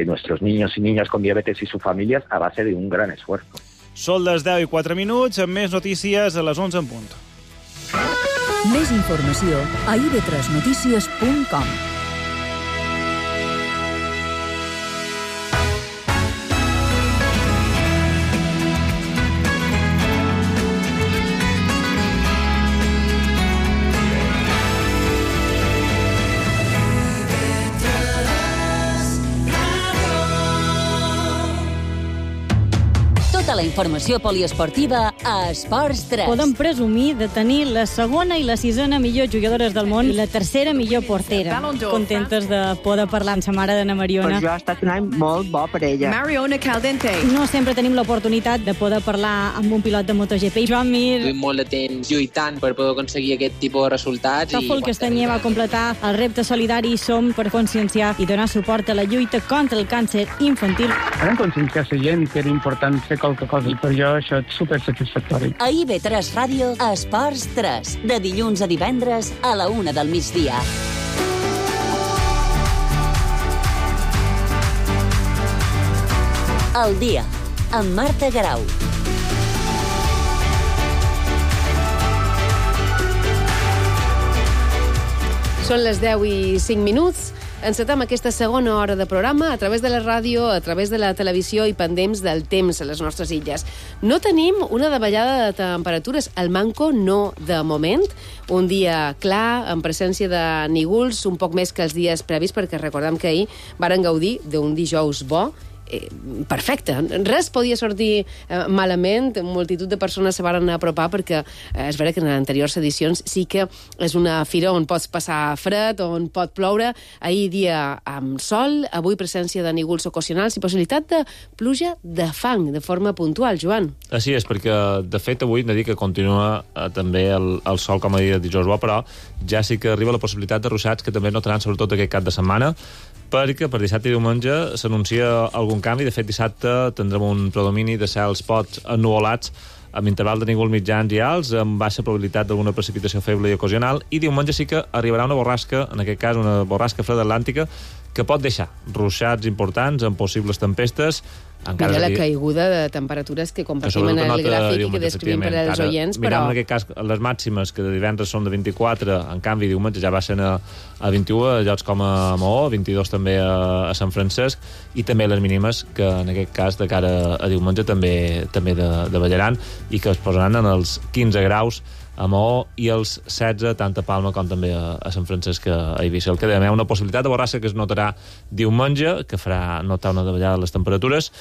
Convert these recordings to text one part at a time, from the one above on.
nuestros niños y niñas con diabetes y sus familias a base de un gran esfuerzo. Són les 10:04, amb més notícies a les 11 en punt. Més informació a ib3notícies.com. La informació poliesportiva a Esports 3. Podem presumir de tenir la segona i la sisena millor jugadores del món i la tercera millor portera. Contentes de poder parlar amb sa mare d'Anna Mariona. Per jo ha estat un any molt bo per ella. Mariona Caldente. No sempre tenim l'oportunitat de poder parlar amb un pilot de MotoGP. Joan Mir. Duim molt de temps lluitant per poder aconseguir aquest tipus de resultats. Tòfol Castanyer va completar el repte solidari Som per conscienciar i donar suport a la lluita contra el càncer infantil. Vam conscienciar la gent que era important fer qualque cosa i per jo això és supersatisfactori. A IB3 Ràdio, Esports 3, de dilluns a divendres a la 1 del migdia. El dia, amb Marta Garau. Són les 10:05. Encetem aquesta segona hora de programa a través de la ràdio, a través de la televisió i pendents del temps a les nostres illes. No tenim una davallada de temperatures, al manco no de moment. Un dia clar, en presència de nígols, un poc més que els dies previs, perquè recordem que ahir varen gaudir d'un dijous bo, perfecte. Res podia sortir malament. Multitud de persones se varen apropar perquè és vera que en les anteriors edicions sí que és una fira on pots passar fred, on pot ploure. Ahir dia amb sol, avui presència de nígols ocasionals i possibilitat de pluja de fang de forma puntual, Joan. Així és, perquè de fet avui hem de dir que continua també el sol com a dia de dijous bo, però ja sí que arriba la possibilitat de ruixats que també notaran sobretot aquest cap de setmana, perquè per dissabte i diumenge s'anuncia algun canvi. De fet, dissabte tindrem un predomini de cels pocs ennuvolats amb interval de nígols mitjans i alts, amb baixa probabilitat d'alguna precipitació feble i ocasional, i diumenge sí que arribarà una borrasca, en aquest cas una borrasca freda atlàntica, que pot deixar ruixats importants amb possibles tempestes. Mira la caiguda de temperatures que compartim en el gràfic i que descrivim per als oients, però... Mirem en aquest cas les màximes, que de divendres són de 24, en canvi diumenge ja baixen a 21 a llocs com a Maó, 22 també a Sant Francesc, i també les mínimes, que en aquest cas de cara a diumenge també davallaran i que es posaran en els 15 graus a Maó i els 16 tant a Palma com també a Sant Francesc a Eivissa. El que dèiem, una possibilitat de borrassa que es notarà diumenge, que farà notar una davallada de les temperatures,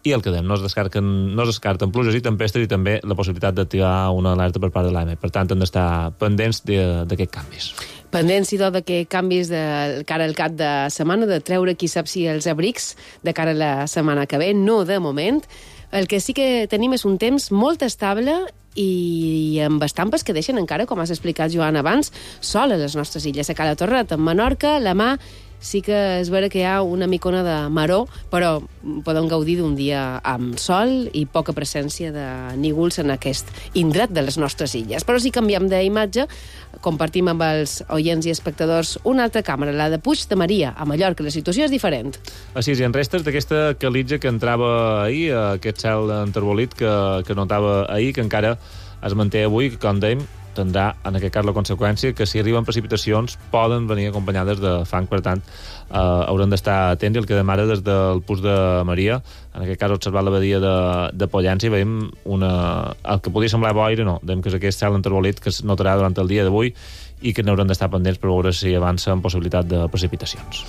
i el que dèiem, no es descarten pluges i tempestes i també la possibilitat d'activar una alerta per part de l'AEME. Per tant, hem d'estar pendents d'aquests canvis. Pendents, idò, d'aquests canvis de cara al cap de setmana, de treure qui sap si els abrics de cara a la setmana que ve, no de moment. El que sí que tenim és un temps molt estable i amb estampes que deixen encara, com has explicat, Joan, abans, sol a les nostres illes. A Cala Torret, en Menorca, la Mà, sí que és vera que hi ha una micona de maror, però podem gaudir d'un dia amb sol i poca presència de nígols en aquest indret de les nostres illes. Però si canviem d'imatge, compartim amb els oients i espectadors una altra càmera, la de Puig de Maria, a Mallorca. La situació és diferent. Així és, i en restes d'aquesta calitja que entrava ahir, aquest cel enterbolit que notava ahir, que encara es manté avui, que, com dèiem, tindrà, en aquest cas, la conseqüència que si arriben precipitacions poden venir acompanyades de fang, per tant, haurem d'estar atents. I el que dèiem ara des del Puig de Maria, en aquest cas observar la badia de Pollença, i veiem el que podia semblar boira, no, dèiem que és aquest cel enterbolit que es notarà durant el dia d'avui i que n'haurem d'estar pendents per veure si avança amb possibilitat de precipitacions.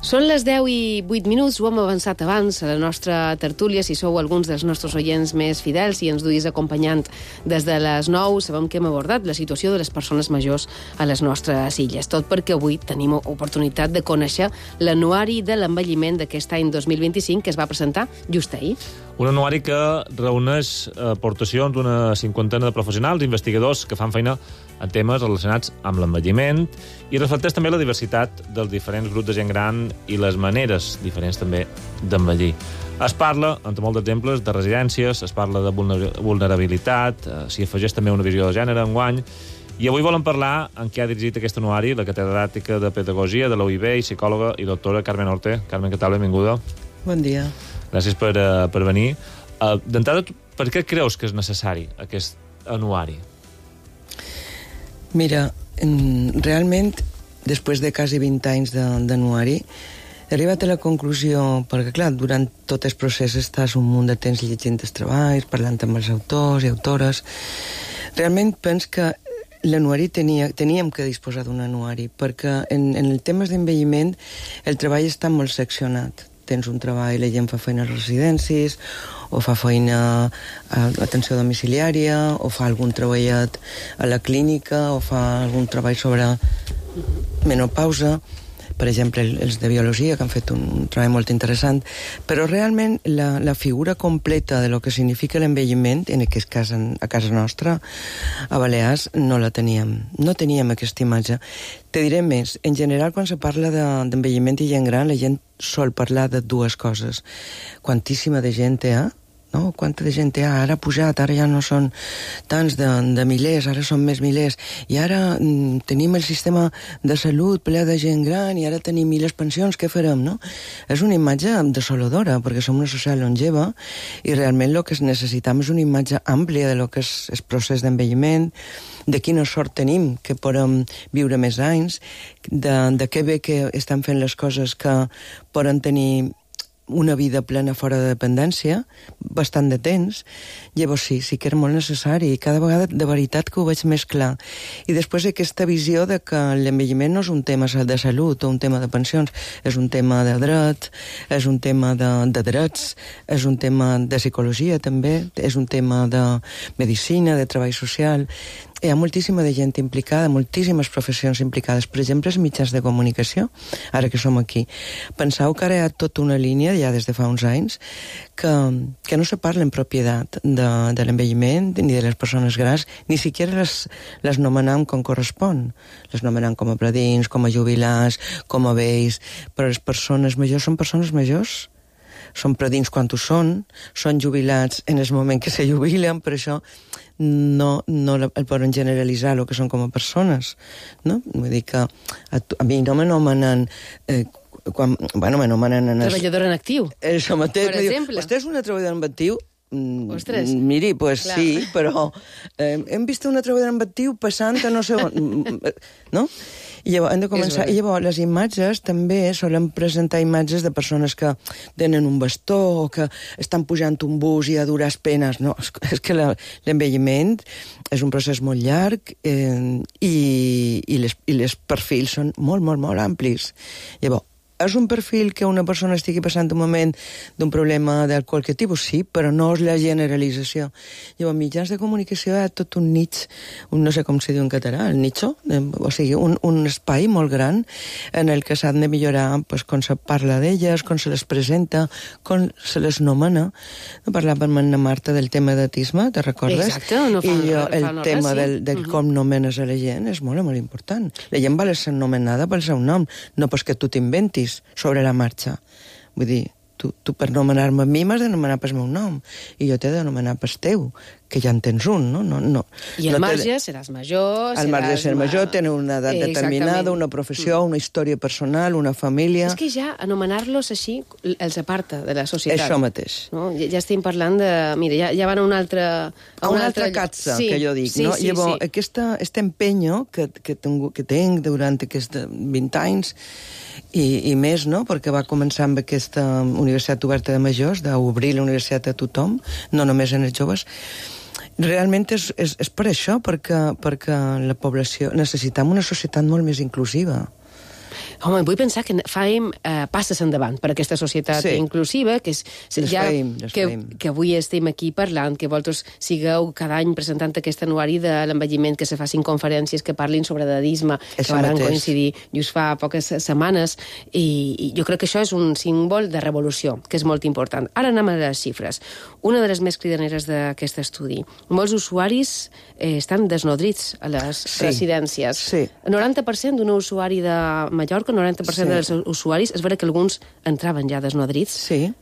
Són les 10:08, ho hem avançat abans a la nostra tertúlia. Si sou alguns dels nostres oients més fidels i ens duis acompanyant des de les 9, sabem que hem abordat la situació de les persones majors a les nostres illes. Tot perquè avui tenim oportunitat de conèixer l'anuari de l'envelliment d'aquest any 2025 que es va presentar just ahir. Un anuari que reuneix aportacions d'una cinquantena de professionals, investigadors que fan feina en temes relacionats amb l'envelliment i reflecteix també la diversitat dels diferents grups de gent gran i les maneres diferents també d'envellir. Es parla, entre molts exemples, de residències, es parla de vulnerabilitat, s'hi afegeix també una visió de gènere enguany, I avui volem parlar amb qui ha dirigit aquest anuari, la catedràtica de Pedagogia de la UIB i psicòloga i doctora Carmen Orte. Carmen, què tal? Benvinguda. Bon dia. Gràcies per venir. D'entrada, per què creus que és necessari aquest anuari? Mira, realment, després de quasi 20 anys d'anuari, he arribat a la conclusió, perquè clar, durant tot el procés estàs un munt de temps llegint els treballs, parlant amb els autors i autores. Realment penso que l'anuari teníem que disposar d'un anuari, perquè en el temes d'envelliment el treball està molt seccionat. Tens un treball, la gent fa feina a les residències, o fa feina a l'atenció domiciliària, o fa algun treballet a la clínica, o fa algun treball sobre menopausa, per exemple, els de biologia, que han fet un treball molt interessant, però realment la figura completa de lo que significa l'envelliment, en aquest cas a casa nostra, a Balears, no la teníem. No teníem aquesta imatge. Te diré més, en general, quan se parla d'envelliment i gent gran, la gent sol parlar de dues coses. Quantíssima de gent hi ha, no? Quanta de gent hi ha? Ara ha pujat, ara ja no són tants de milers, ara són més milers, i ara tenim el sistema de salut ple de gent gran, i ara tenim les pensions, què farem, no? És una imatge desoladora, perquè som una societat longeva, i realment el que necessitem és una imatge àmplia de lo que és el procés d'envelliment, de quina sort tenim, que podem viure més anys, de què bé que estan fent les coses que poden tenir una vida plena fora de dependència, bastant de temps. Llavors sí que era molt necessari, i cada vegada de veritat que ho veig més clar. I després aquesta visió de que l'envelliment no és un tema de salut o un tema de pensions, és un tema de dret, és un tema de drets, és un tema de psicologia també, és un tema de medicina, de treball social. Hi ha moltíssima de gent implicada, moltíssimes professions implicades. Per exemple, els mitjans de comunicació, ara que som aquí. Penseu que ara hi ha tota una línia, ja des de fa uns anys, que no se parla en propietat de l'envelliment ni de les persones grans, ni siquiera les nomenam com correspon. Les nomenam com a predins, com a jubilats, com a vells, però les persones majors són persones majors. Són predins quan ho són jubilats en el moment que se jubilen, per això no el poden generalitzar el que són com a persones, no? Vull dir que a mi no m'anomenen treballadora en actiu, això mateix, per exemple. Vostè és una treballadora en actiu? Ostres. Miri, pues clar. Sí, però hem vist una treballadora en actiu passant a no sé on, no? I llavors, hem de començar. I llavors, les imatges també solen presentar imatges de persones que tenen un bastó o que estan pujant un bus i a dures penes. No, és que l'envelliment és un procés molt llarg i les perfils són molt, molt, molt amplis. Llavors, és un perfil que una persona estigui passant un moment d'un problema de qualque tipus? Sí, però no és la generalització. Llavors, mitjans de comunicació hi ha tot un nicho, no sé com se diu en català, el nicho, o sigui, un espai molt gran en el que s'han de millorar pues, com se parla d'elles, com se les presenta, com se les nomena. No parlàvem amb la Marta del tema d'autisme, te recordes? Exacte, no fa, I jo, el fa tema del com nomenes a la gent és molt, molt important. La gent va ser nomenada pel seu nom, no pas que tu t'inventis sobre la marxa. Vull dir, tu per nomenar-me a mi m'has de nomenar pel meu nom i jo t'he de nomenar pel teu, que ja en tens un, no? I al marge seràs major... Al marge de ser major, tenir una edat determinada, una professió, una història personal, una família... És que ja anomenar-los així els aparta de la societat. Això mateix. No? Ja estem parlant de... Mira, ja van a una altra... A una altra catsa, sí, que jo dic, no? Sí, llavors, aquest empenyo que tenc durant aquests 20 anys i més, no? Perquè va començar amb aquesta Universitat Oberta de Majors, d'obrir la universitat a tothom, no només en els joves. Realment és per això, perquè la població necessitem una societat molt més inclusiva. Home, vull pensar que fem passes endavant per aquesta societat inclusiva, que és que avui estem aquí parlant, que vosaltres sigueu cada any presentant aquest anuari de l'envelliment, que se facin conferències que parlin sobre edadisme, que van coincidir just fa poques setmanes, i jo crec que això és un símbol de revolució, que és molt important. Ara anem a les xifres. Una de les més cridaneres d'aquest estudi. Molts usuaris estan desnodrits a les residències. El 90% d'un usuari de Mallorca, el 90% dels usuaris, és vera que alguns entraven ja desnodrits. Sí.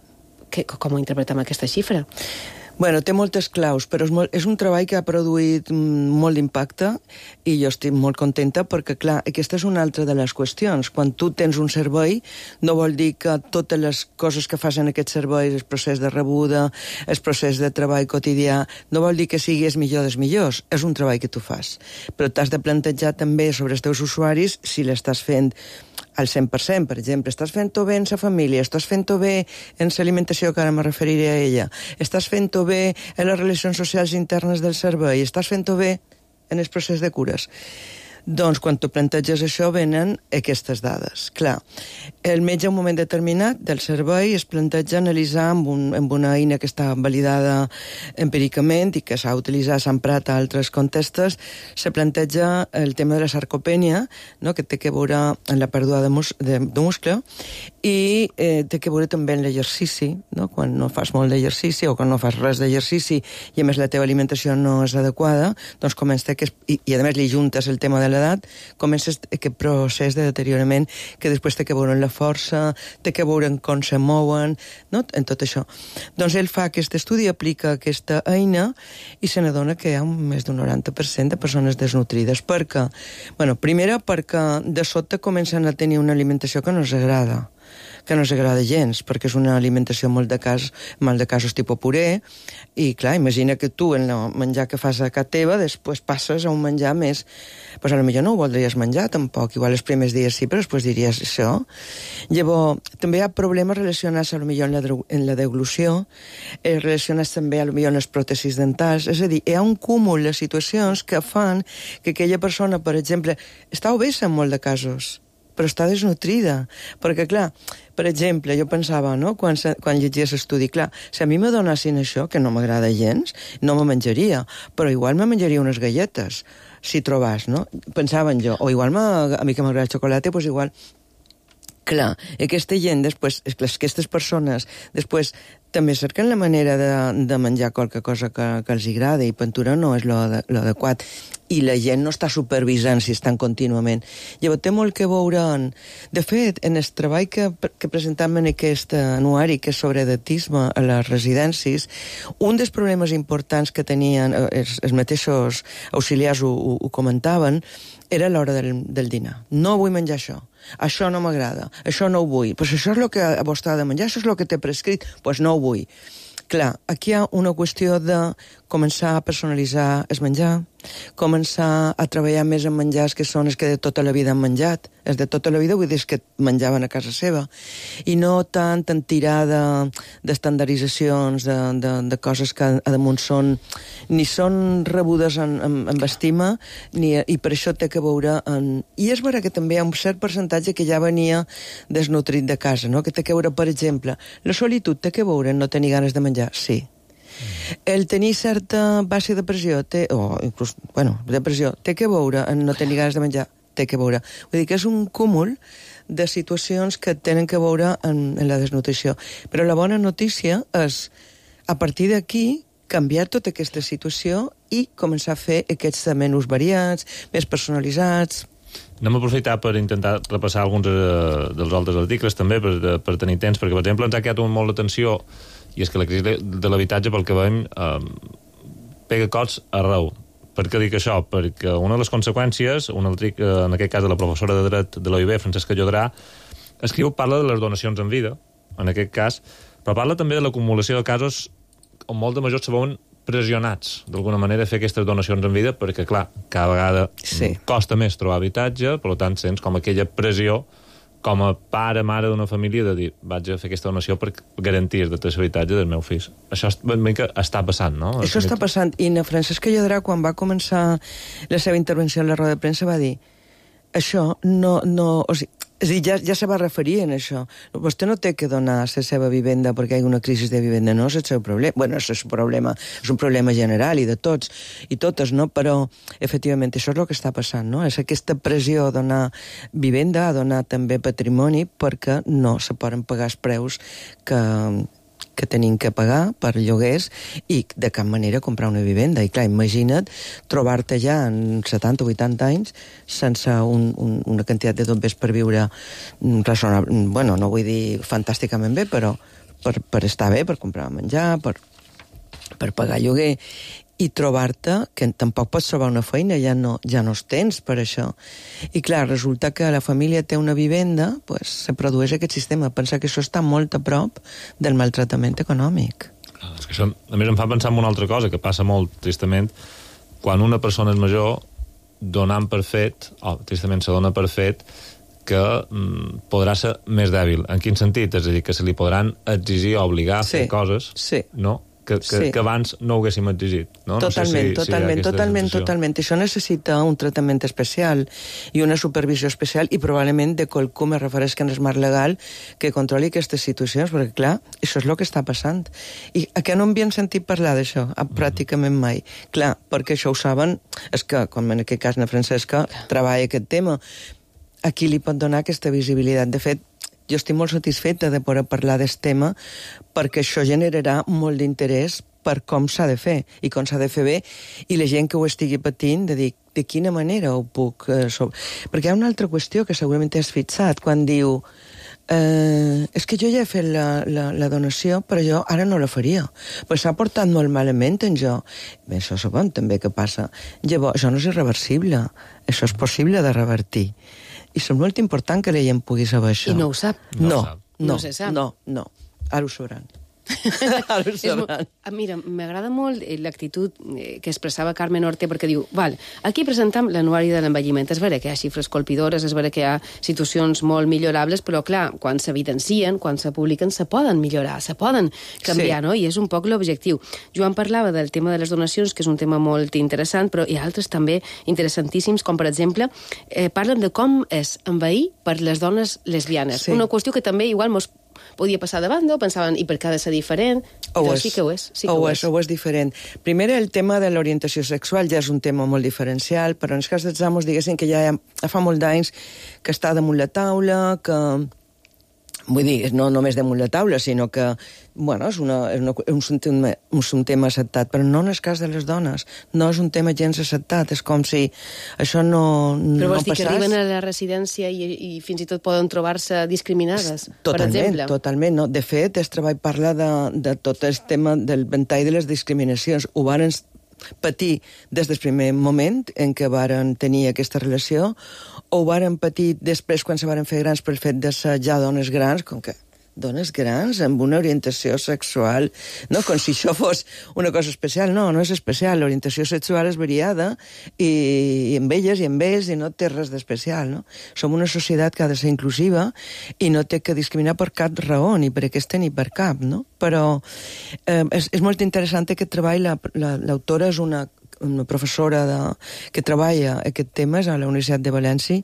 Com ho interpretem aquesta xifra? Bueno, té moltes claus, però és un treball que ha produït molt d'impacte i jo estic molt contenta perquè, clar, aquesta és una altra de les qüestions. Quan tu tens un servei, no vol dir que totes les coses que fas en aquest servei, el procés de rebuda, el procés de treball quotidià, no vol dir que siguis millor dels millors. És un treball que tu fas. Però t'has de plantejar també sobre els teus usuaris si l'estàs fent al 100%, per exemple. Estàs fent-ho bé en la família, estàs fent-ho bé en l'alimentació, que ara me referiré a ella, estàs fent-ho bé en les relacions socials internes del servei, estàs fent-ho bé en el procés de cures. Doncs quan tu planteges això venen aquestes dades. Clar, el metge en un moment determinat del servei es planteja analitzar amb una eina que està validada empíricament i que s'ha utilitzat, s'ha emprat a altres contextos, se planteja el tema de la sarcopènia, no?, que té que veure en la pèrdua de muscle i té que veure també en l'exercici, no?, quan no fas molt d'exercici o quan no fas res d'exercici i a més la teva alimentació no és adequada, doncs comença i a més li juntes el tema de l'edat, comença aquest procés de deteriorament que després té que veure en la força, té que veure en com se mouen, no?, en tot això. Doncs ell fa aquest estudi, aplica aquesta eina i se n'adona que hi ha més d'un 90% de persones desnutrides. Per què? Bueno, primera, perquè de sobte comencen a tenir una alimentació que no els agrada gens, perquè és una alimentació molt de casos tipus puré, i clar, imagina que tu en el menjar que fas a casa teva després passes a un menjar més, doncs potser no ho voldries menjar tampoc, igual els primers dies sí, però després diries això. Llavors, també hi ha problemes relacionats potser en la deglució, relacionats també potser en les pròtesis dentals, és a dir, hi ha un cúmul de situacions que fan que aquella persona, per exemple, està obesa en molt de casos, però està desnutrida. Perquè, clar, per exemple, jo pensava, no?, quan llegies l'estudi, clar, si a mi me donessin això, que no m'agrada gens, no me menjaria, però igual me menjaria unes galletes, si trobàs, no? Pensava en jo. O igual a mi que m'agrada el xocolata, doncs igual... Clar, aquesta gent, després, aquestes persones, després també cerquen la manera de menjar qualque cosa que els agrada i pintura no és l'adequat. I la gent no està supervisant si estan contínuament. Llavors té molt que veure... De fet, en el treball que presentem en aquest anuari, que és sobre edatisme a les residències, un dels problemes importants que tenien els mateixos auxiliars ho comentaven, era l'hora del dinar. No vull menjar això no m'agrada, això no ho vull. Pues això és el que vostè ha de menjar, això és el que t'he prescrit, pues no ho vull. Clar, aquí hi ha una qüestió de començar a personalitzar el menjar, començar a treballar més en menjars que són els que de tota la vida han menjat. Els de tota la vida vull dir que menjaven a casa seva. I no tant en tirada d'estandarditzacions, de coses que a damunt ni són rebudes amb estima, i per això té que veure... I és vera que també hi ha un cert percentatge que ja venia desnutrit de casa, no?, que té que veure, per exemple, la solitud té que veure en no tenir ganes de menjar, sí. El tenir certa baixa depressió, depressió, té que veure en no tenir ganes de menjar, té que veure. Vull dir que és un cúmul de situacions que tenen que veure en la desnutrició. Però la bona notícia és, a partir d'aquí, canviar tota aquesta situació i començar a fer aquests menús variats, més personalitzats. Anem a aprofitar per intentar repassar alguns dels altres articles també per tenir temps, perquè per exemple ens ha quedat molt l'atenció, i és que la crisi de l'habitatge, pel que veiem, pega cops arreu. Per què dic això? Perquè una de les conseqüències, en aquest cas de la professora de dret de l'OIB, Francesca Llodrà, parla de les donacions en vida, en aquest cas, però parla també de l'acumulació de casos on molts de majors se veuen pressionats, d'alguna manera, a fer aquestes donacions en vida, perquè, clar, cada vegada costa més trobar habitatge, per tant, sents com aquella pressió com a pare, mare d'una família, de dir, vaig a fer aquesta donació per garantir el habitatge del meu fill. Això està passant, no? Això està passant, i la Francesca Llodrà, quan va començar la seva intervenció en la roda de premsa, va dir, això no... O sigui, és a dir, ja se va referir en això. Vostè no té que donar la seva vivenda perquè hi ha una crisi de vivenda, no és el seu problema. Bueno, és el seu problema, és un problema general i de tots i totes, no? Però, efectivament, això és el que està passant, no? És aquesta pressió a donar vivenda, a donar també patrimoni, perquè no se poden pagar els preus que tenim que pagar per lloguers i de cap manera comprar una vivenda. I clar, imagina't trobar-te ja en 70 o 80 anys sense una quantitat de dobbers per viure raonable, bueno, no vull dir fantàsticament bé, però per estar bé, per comprar menjar, per... per pagar lloguer, i trobar-te que tampoc pots trobar una feina, ja no els tens per això. I clar, resulta que la família té una vivenda, pues, se produeix aquest sistema. Pensa que això està molt a prop del maltratament econòmic. És que això, a més, em fa pensar en una altra cosa, que passa molt, tristament, quan una persona és major, donant per fet, tristament se dona per fet, que podrà ser més dèbil. En quin sentit? És a dir, que se li podran exigir o obligar a fer coses, no? Que abans no ho haguéssim exigit. No? Totalment, no sé si totalment. Això necessita un tractament especial i una supervisió especial i probablement de qualcú, me refereix que en el marc legal, que controli aquestes situacions, perquè clar, això és el que està passant. I a què no havien sentit parlar d'això? Pràcticament mai. Clar, perquè això ho saben, és que, com en aquest cas na Francesca, treballa aquest tema. A qui li pot donar aquesta visibilitat? De fet, jo estic molt satisfeta de poder parlar d'aquest tema perquè això generarà molt d'interès per com s'ha de fer i com s'ha de fer bé, i la gent que ho estigui patint de dir de quina manera ho puc... Perquè hi ha una altra qüestió que segurament t'has fixat quan diu és que jo ja he fet la donació, però jo ara no la faria. Pues s'ha portat molt malament en jo. Bé, això sabem també què passa. Llavors, això no és irreversible. Això és possible de revertir. I és molt important que la gent pugui saber això. I no ho sap. No se sap. No. Ara ho sabran. Mira, m'agrada molt l'actitud que expressava Carmen Orte, perquè diu, aquí presentem l'anuari de l'envelliment, és vera que hi ha xifres colpidores, és vera que hi ha situacions molt millorables, però clar, quan s'evidencien, quan se publiquen, se poden millorar, se poden canviar, no? I és un poc l'objectiu. Joan parlava del tema de les donacions, que és un tema molt interessant, però hi ha altres també interessantíssims, com per exemple, parlen de com és envellir per les dones lesbianes. Una qüestió que també igual mos podia passar davant, no? Pensaven, i per què ha de ser diferent? Doncs sí que ho és. Ho és diferent. Primer, el tema de l'orientació sexual ja és un tema molt diferencial, però en el cas dels amos, diguéssim que ja fa molt d'anys que està damunt la taula, que... Vull dir, no només damunt la taula, sinó que, bueno, és un tema acceptat, però no en el cas de les dones. No és un tema gens acceptat, és com si això no passés. Però vols dir que arriben a la residència i fins i tot poden trobar-se discriminades, per exemple? Totalment, no. De fet, el treball parla de tot el tema del ventall de les discriminacions. Ho varen patir des del primer moment en què varen tenir aquesta relació, o ho varen patir després quan se varen fer grans pel fet de ser ja dones grans, com que dones grans amb una orientació sexual, no, com si això fos una cosa especial. No és especial, l'orientació sexual és variada i amb elles i amb ells i no té res d'especial, no? Som una societat que ha de ser inclusiva i no té que discriminar per cap raó, ni per aquesta ni per cap, no? Però és molt interessant aquest treball. L'autora és una professora que treballa aquest temes a la Universitat de València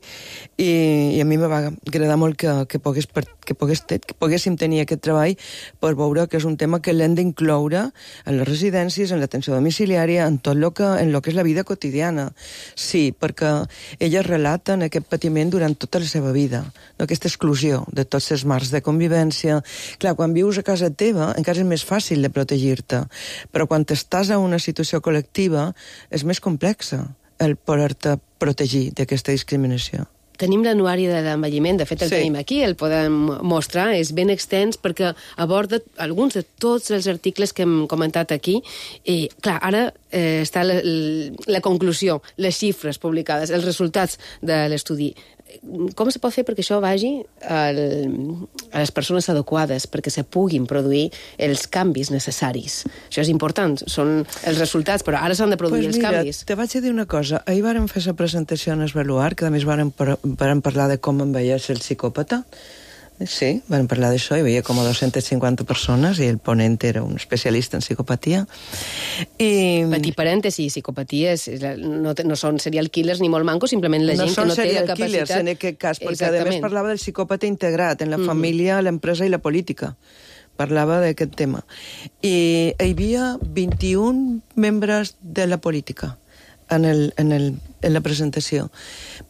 i a mi me va agradar molt que poguéssim tenir aquest treball per veure que és un tema que l'hem d'incloure en les residències, en l'atenció domiciliària, en tot en lo que és la vida quotidiana. Sí, perquè elles relaten aquest patiment durant tota la seva vida, no? Aquesta exclusió de tots els marcs de convivència. Clar, quan vius a casa teva encara és més fàcil de protegir-te, però quan estàs en una situació col·lectiva és més complexa el poder-te protegir d'aquesta discriminació. Tenim l'anuari de l'envelliment, de fet el tenim aquí, el podem mostrar, és ben extens perquè aborda alguns de tots els articles que hem comentat aquí. I, clar, ara està la conclusió, les xifres publicades, els resultats de l'estudi. Com se pot fer perquè això vagi a les persones adequades, perquè se puguin produir els canvis necessaris? Això és important, són els resultats, però ara s'han de produir els canvis. Te vaig a dir una cosa. Ahir vàrem fer la presentació en Esvaluar, que a més vàrem parlar de com envelleix el psicòpata. Sí, van parlar d'això, hi havia com 250 persones i el ponent era un especialista en psicopatia. Petit parèntesi, psicopaties no són serial killers ni molt mancos, simplement la gent que no té la capacitat... No són serial killers en aquest cas, perquè a més parlava del psicòpata integrat en la família, l'empresa i la política. Parlava d'aquest tema. I hi havia 21 membres de la política en la presentació.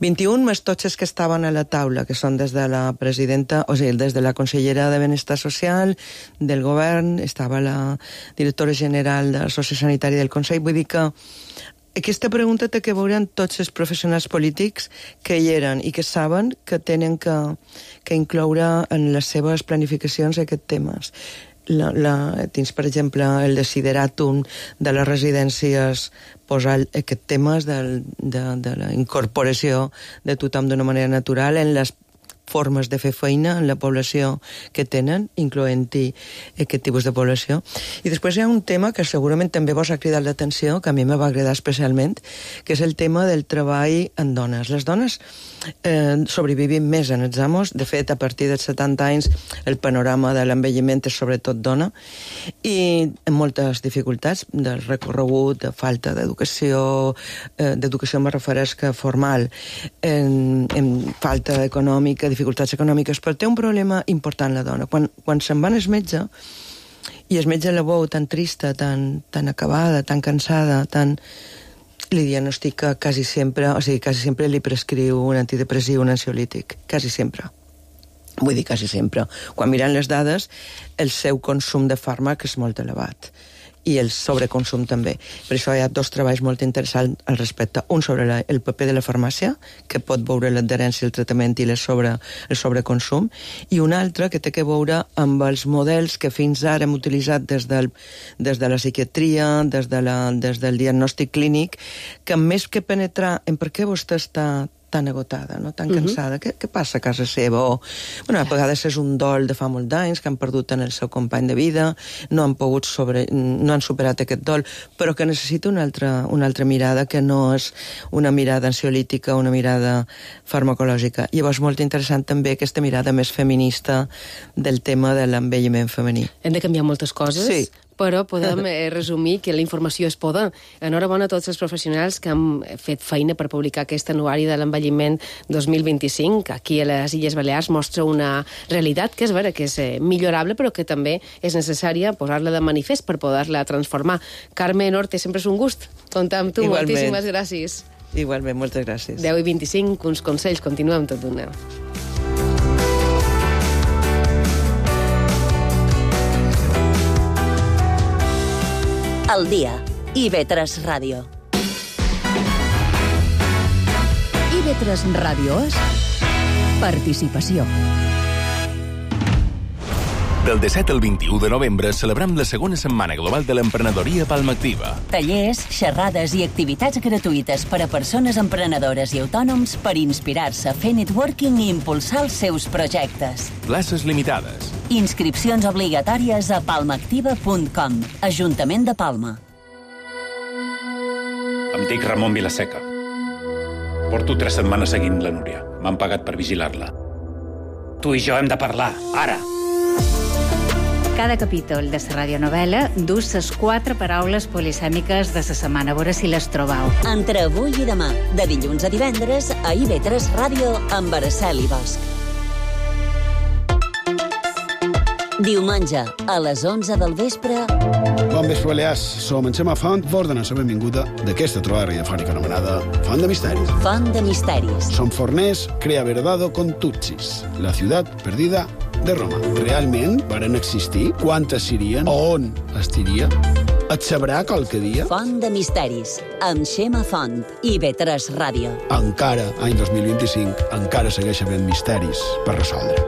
21 més tots els que estaven a la taula, que són des de la presidenta, o sigui, des de la consellera de Benestar Social, del govern, estava la directora general de la Sociosanitària del Consell. Vull dir que aquesta pregunta té que veure amb tots els professionals polítics que hi eren i que saben que tenen que incloure en les seves planificacions aquests temes. tens, per exemple, el desideratum de les residències, posar aquest tema de la incorporació de tothom d'una manera natural en les formes de fer feina en la població que tenen, incloent-hi aquest tipus de població. I després hi ha un tema que segurament també vos ha cridat l'atenció, que a mi me va agradar especialment, que és el tema del treball en dones. Les dones sobrevivim més en els amos. De fet, a partir dels 70 anys el panorama de l'envelliment és sobretot dona, i amb moltes dificultats del recorregut, de falta d'educació me refereix que formal, en falta econòmica, dificultats econòmiques, però té un problema important la dona. Quan se'n va al metge, i el metge la veu tan trista, tan acabada, tan cansada, li diagnostica quasi sempre li prescriu un antidepressiu, un ansiolític, quasi sempre. Vull dir quasi sempre. Quan miren les dades, el seu consum de fàrmac és molt elevat, i el sobreconsum també. Per això hi ha dos treballs molt interessants al respecte. Un sobre el paper de la farmàcia, que pot veure l'adherència al tractament i el sobreconsum, i un altre que té que veure amb els models que fins ara hem utilitzat des de la psiquiatria, des del diagnòstic clínic, que més que penetrar en per què vostè està tan agotada, no? Tan cansada. Què passa a casa seva? A vegades és un dol de fa molt d'anys, que han perdut en el seu company de vida, no han superat aquest dol, però que necessita una altra mirada, que no és una mirada ansiolítica, una mirada farmacològica. Llavors, molt interessant també aquesta mirada més feminista del tema de l'envelliment femení. Hem de canviar moltes coses, sí, però podem resumir que la informació és poder. Enhorabona a tots els professionals que han fet feina per publicar aquest anuari de l'envelliment 2025. Aquí a les Illes Balears mostra una realitat que és vera, que és millorable, però que també és necessària posar-la de manifest per poder-la transformar. Carmen Orte, sempre és un gust comptar amb tu. Igualment. Moltíssimes gràcies. Igualment, moltes gràcies. 10:25, uns consells, continuem tot d'una. Al dia, IB3 Ràdio. IB3 Ràdio és participació. Del 17 al 21 de novembre celebrem la segona setmana global de l'emprenedoria Palma Activa. Tallers, xerrades i activitats gratuïtes per a persones emprenedores i autònoms per inspirar-se, fer networking i impulsar els seus projectes. Places limitades. Inscripcions obligatòries a palmaactiva.com. Ajuntament de Palma. Em dic Ramon Vilaseca. Porto 3 setmanes seguint la Núria. M'han pagat per vigilar-la. Tu i jo hem de parlar, ara! Cada capítol de la radionovel·la dus les 4 paraules polisèmiques de la setmana. A veure si les trobeu. Entre avui i demà, de dilluns a divendres, a IB3 Ràdio amb Araceli Bosch. Diumenge, a les 11 del vespre... Bon vespre, Balears. Som en Xema Font, vos donem la benvinguda d'aquesta trobada radiofònica anomenada Font de Misteris. Font de Misteris. Som forners, crea verdado con Tutsis, la ciutat perdida de Roma. Realment varen existir? Quantes serien? On estiria? Et sabrà qualque dia? Font de Misteris, amb Xema Font, IB3 Ràdio. Encara, any 2025, encara segueix havent misteris per resoldre.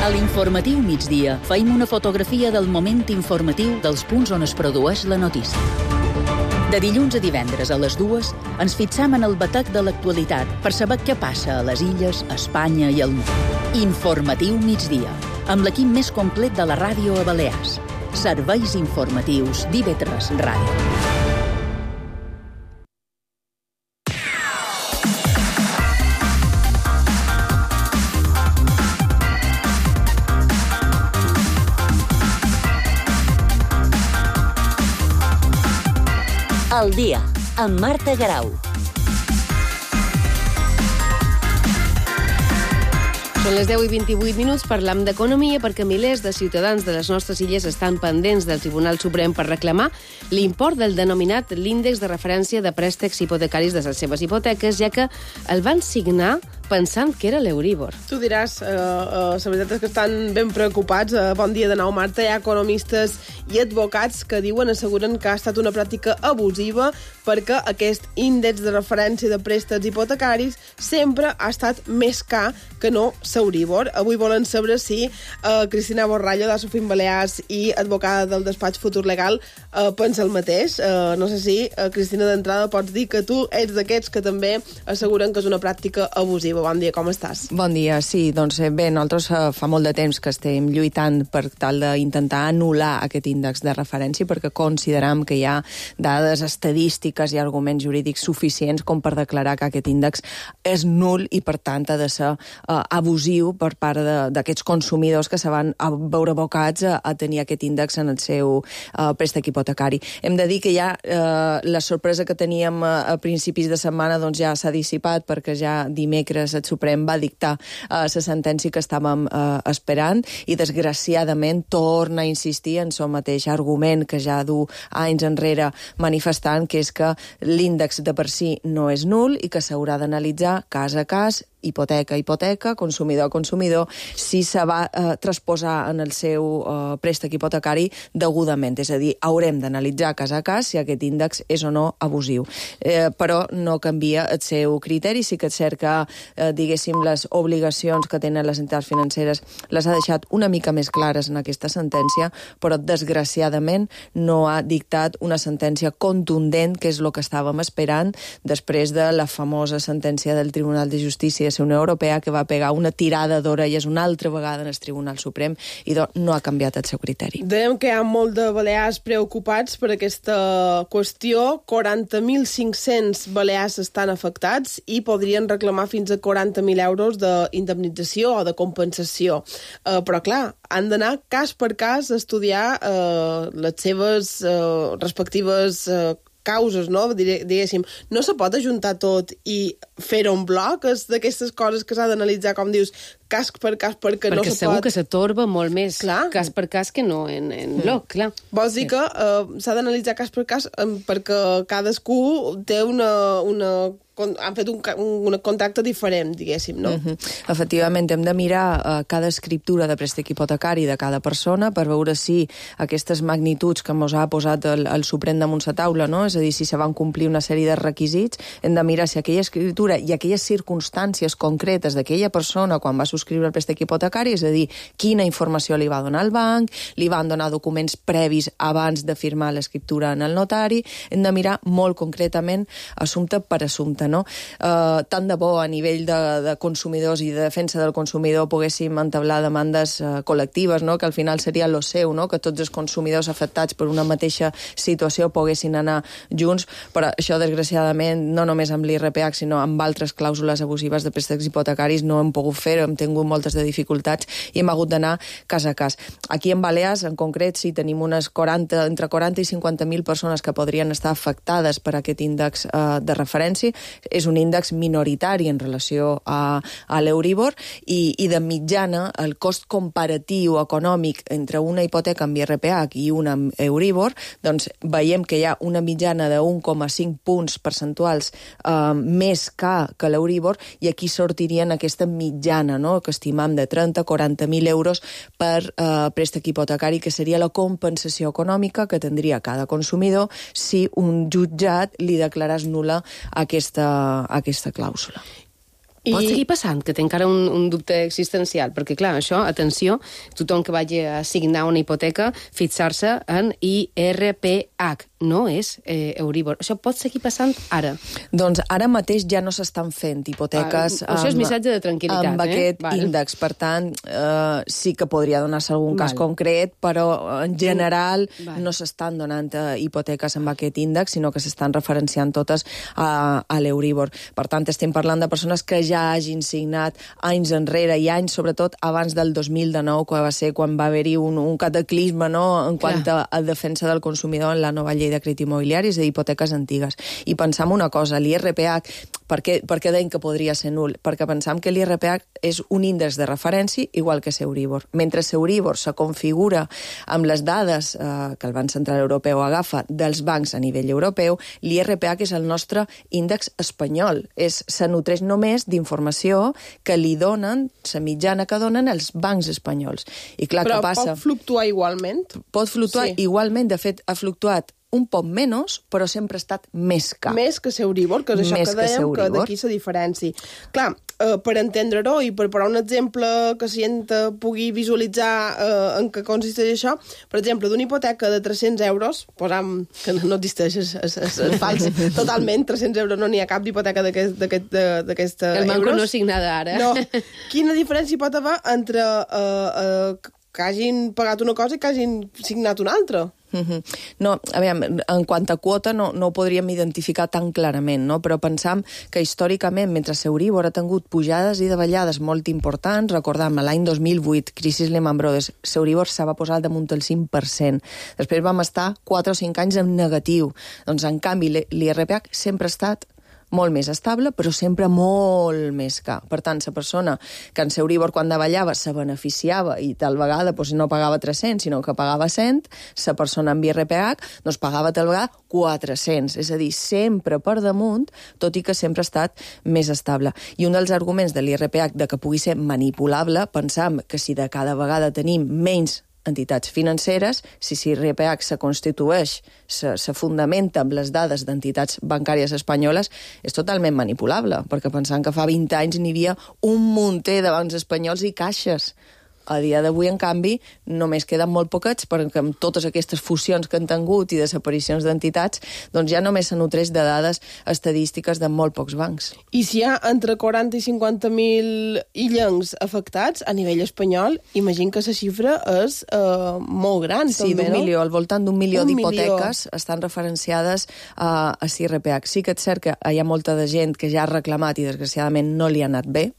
A l'informatiu migdia feim una fotografia del moment informatiu dels punts on es produeix la notícia. De dilluns a divendres a les 2 ens fixam en el batec de l'actualitat per saber què passa a les illes, a Espanya i al món. Informatiu migdia, amb l'equip més complet de la ràdio a Balears. Serveis informatius d'IB3 Ràdio. Al dia, amb Marta Garau. Són les 10:28, parlam d'economia perquè milers de ciutadans de les nostres illes estan pendents del Tribunal Suprem per reclamar l'import del denominat l'índex de referència de préstecs hipotecaris de les seves hipoteques, ja que el van signar pensant que era l'Euríbor. Tu diràs, la veritat és que estan ben preocupats. Bon dia de nou, Marta. Hi ha economistes i advocats que asseguren que ha estat una pràctica abusiva perquè aquest índex de referència de préstecs hipotecaris sempre ha estat més car que no l'Euríbor. Avui volen saber si Cristina Borrallo, de Sofim Balears i advocada del despatx Futur Legal, pensa el mateix. No sé si, Cristina, d'entrada pots dir que tu ets d'aquests que també asseguren que és una pràctica abusiva. Bon dia, com estàs? Bon dia, sí. Doncs bé, nosaltres fa molt de temps que estem lluitant per tal d'intentar anul·lar aquest índex de referència perquè consideram que hi ha dades estadístiques i arguments jurídics suficients com per declarar que aquest índex és nul i, per tant, ha de ser abusiu per part d'aquests consumidors que se van veure abocats a tenir aquest índex en el seu préstec hipotecari. Hem de dir que ja la sorpresa que teníem a principis de setmana doncs ja s'ha dissipat perquè ja dimecres el Suprem va dictar la sentència que estàvem esperant i, desgraciadament, torna a insistir en el mateix argument que ja du anys enrere manifestant, que és que l'índex de per si no és nul i que s'haurà d'analitzar cas a cas, hipoteca a hipoteca, consumidor a consumidor, si se va transposar en el seu préstec hipotecari degudament. És a dir, haurem d'analitzar cas a cas si aquest índex és o no abusiu. Però no canvia el seu criteri. Sí que és cert que, diguéssim, les obligacions que tenen les entitats financeres les ha deixat una mica més clares en aquesta sentència, però, desgraciadament, no ha dictat una sentència contundent, que és el que estàvem esperant després de la famosa sentència del Tribunal de Justícia de la Unió Europea, que va pegar una tirada d'orelles una altra vegada en el Tribunal Suprem i no ha canviat el seu criteri. Dèiem que hi ha molt de balears preocupats per aquesta qüestió. 40.500 balears estan afectats i podrien reclamar fins a 40.000 euros d'indemnització o de compensació. Però, clar, han d'anar cas per cas a estudiar les seves respectives causes, no? Diguéssim, no se pot ajuntar tot i fer-ho en bloc? És d'aquestes coses que s'ha d'analitzar, com dius, cas per cas, perquè no se pot... Perquè segur que s'atorba molt més cas per cas que no en bloc, clar. Vols dir que s'ha d'analitzar cas per cas perquè cadascú té han fet un contracte diferent, diguéssim, no? Efectivament, hem de mirar cada escriptura de préstec hipotecari de cada persona per veure si aquestes magnituds que ens ha posat el Suprem damunt la taula, no? És a dir, si se van complir una sèrie de requisits, hem de mirar si aquella escriptura i aquelles circumstàncies concretes d'aquella persona quan va subscriure el préstec hipotecari, és a dir, quina informació li va donar el banc, li van donar documents previs abans de firmar l'escriptura en el notari, hem de mirar molt concretament assumpte per assumpte, no? Tant de bo a nivell de consumidors i de defensa del consumidor poguéssim entablar demandes col·lectives, no? Que al final seria lo seu, no? Que tots els consumidors afectats per una mateixa situació poguessin anar junts, però això, desgraciadament, no només amb l'IRPH, sinó amb altres clàusules abusives de préstecs hipotecaris no hem pogut fer, hem tingut moltes de dificultats i hem hagut d'anar cas a cas. Aquí en Balears, en concret, sí, tenim entre 40 i 50.000 persones que podrien estar afectades per aquest índex de referència. És un índex minoritari en relació a l'Euríbor i de mitjana el cost comparatiu econòmic entre una hipoteca amb IRPH i una amb Euríbor, doncs veiem que hi ha una mitjana de 1,5 punts percentuals més que l'Euríbor i aquí sortirien aquesta mitjana, no? Que estimam de 30-40.000 euros per préstec hipotecari, que seria la compensació econòmica que tindria cada consumidor si un jutjat li declarés nul·la aquesta clàusula. Pot seguir passant, que té encara un dubte existencial, perquè, clar, això, atenció, tothom que vagi a signar una hipoteca, fixar-se en IRPH, no és Euríbor. Això pot seguir passant ara? Doncs ara mateix ja no s'estan fent hipoteques això és missatge de tranquil·litat, amb aquest índex. Per tant, sí que podria donar-se algun cas concret, però en general no s'estan donant hipoteques amb aquest índex, sinó que s'estan referenciant totes a l'Euríbor. Per tant, estem parlant de persones que ja hagin signat anys enrere i anys, sobretot abans del 2019, que va ser quan va haver-hi un cataclisme, no?, en quant a defensa del consumidor en la nova llei llei de crèdit immobiliari, és a dir, hipoteques antigues. I pensam una cosa, l'IRPH, per què deim que podria ser nul? Perquè pensam que l'IRPH és un índex de referència igual que Euribor. Mentre Euribor se configura amb les dades que el Banc Central Europeu agafa dels bancs a nivell europeu, l'IRPH és el nostre índex espanyol. Se nutreix només d'informació que li donen, la mitjana que donen els bancs espanyols. I clar, però què passa? pot fluctuar igualment? Pot fluctuar igualment. De fet, ha fluctuat un poc menys, però sempre ha estat més car. Més que Euribor, que és això que dèiem, que d'aquí la diferència. Clar, per entendre-ho i per posar un exemple que la gent pugui visualitzar en què consisteix això, per exemple, d'una hipoteca de 300 euros, posam que no existeix, és fals, totalment, 300 euros no n'hi ha cap d'hipoteca d'aquesta euros. El banco no signada ara. No. Quina diferència pot haver entre que hagin pagat una cosa i que hagin signat una altra? No, a veure, en quant a quota no ho podríem identificar tan clarament, no? Però pensam que històricament, mentre Euribor ha tingut pujades i davallades molt importants, recordam, l'any 2008, crisi Lehman Brothers, Euribor se va posar damunt el 5%. Després vam estar 4 o 5 anys en negatiu. Doncs, en canvi, l'IRPH sempre ha estat molt més estable, però sempre molt més car. Per tant, la persona que en Euribor quan davallava se beneficiava i tal vegada no pagava 300, sinó que pagava 100, la persona amb IRPH pagava tal vegada 400. És a dir, sempre per damunt, tot i que sempre ha estat més estable. I un dels arguments de l'IRPH de que pugui ser manipulable, pensam que si de cada vegada tenim menys entitats financeres, si l'IRPH se constitueix, se fundamenta amb les dades d'entitats bancàries espanyoles, és totalment manipulable, perquè pensant que fa 20 anys n'hi havia un munter de bancs espanyols i caixes. A dia d'avui, en canvi, només queden molt poquets perquè amb totes aquestes fusions que han tingut i desaparicions d'entitats, doncs ja només se nutreix de dades estadístiques de molt pocs bancs. I si hi ha entre 40 i 50.000 illencs afectats a nivell espanyol, imagino que la xifra és molt gran, sí, també, no? Al voltant d'un milió d'hipoteques estan referenciades a l'IRPH. Sí que és cert que hi ha molta de gent que ja ha reclamat i desgraciadament no li ha anat bé,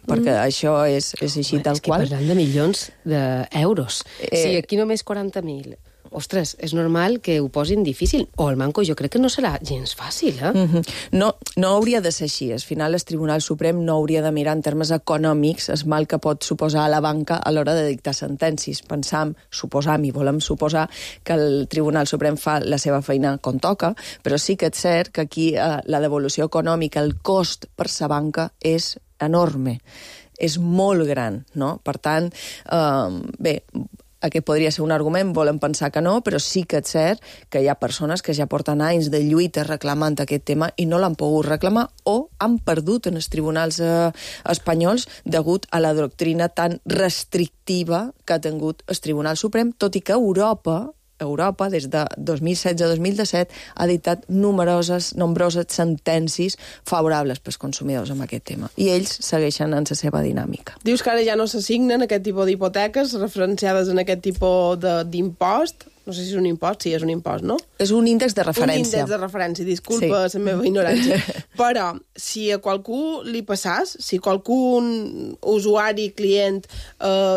perquè això és així tal qual. És que parlant de milions d'euros. Si aquí només 40.000... Ostres, és normal que ho posin difícil. O el manco jo crec que no serà gens fàcil, No hauria de ser així. Al final, el Tribunal Suprem no hauria de mirar en termes econòmics el mal que pot suposar a la banca a l'hora de dictar sentències. Suposam i volem suposar que el Tribunal Suprem fa la seva feina com toca, però sí que és cert que aquí la devolució econòmica, el cost per la banca és enorme. És molt gran, no? Per tant, bé, aquest podria ser un argument, volem pensar que no, però sí que és cert que hi ha persones que ja porten anys de lluita reclamant aquest tema i no l'han pogut reclamar o han perdut en els tribunals espanyols degut a la doctrina tan restrictiva que ha tingut el Tribunal Suprem, tot i que Europa, des de 2016 a 2017, ha dictat nombroses sentències favorables pels consumidors amb aquest tema. I ells segueixen en la seva dinàmica. Dius que ara ja no s'assignen aquest tipus d'hipoteques referenciades en aquest tipus d'impost. No sé si és un impost, sí, és un impost, no? És un índex de referència. Un índex de referència, disculpa la meva ignorància. Però, si a qualcú li passàs, si qualcun usuari, client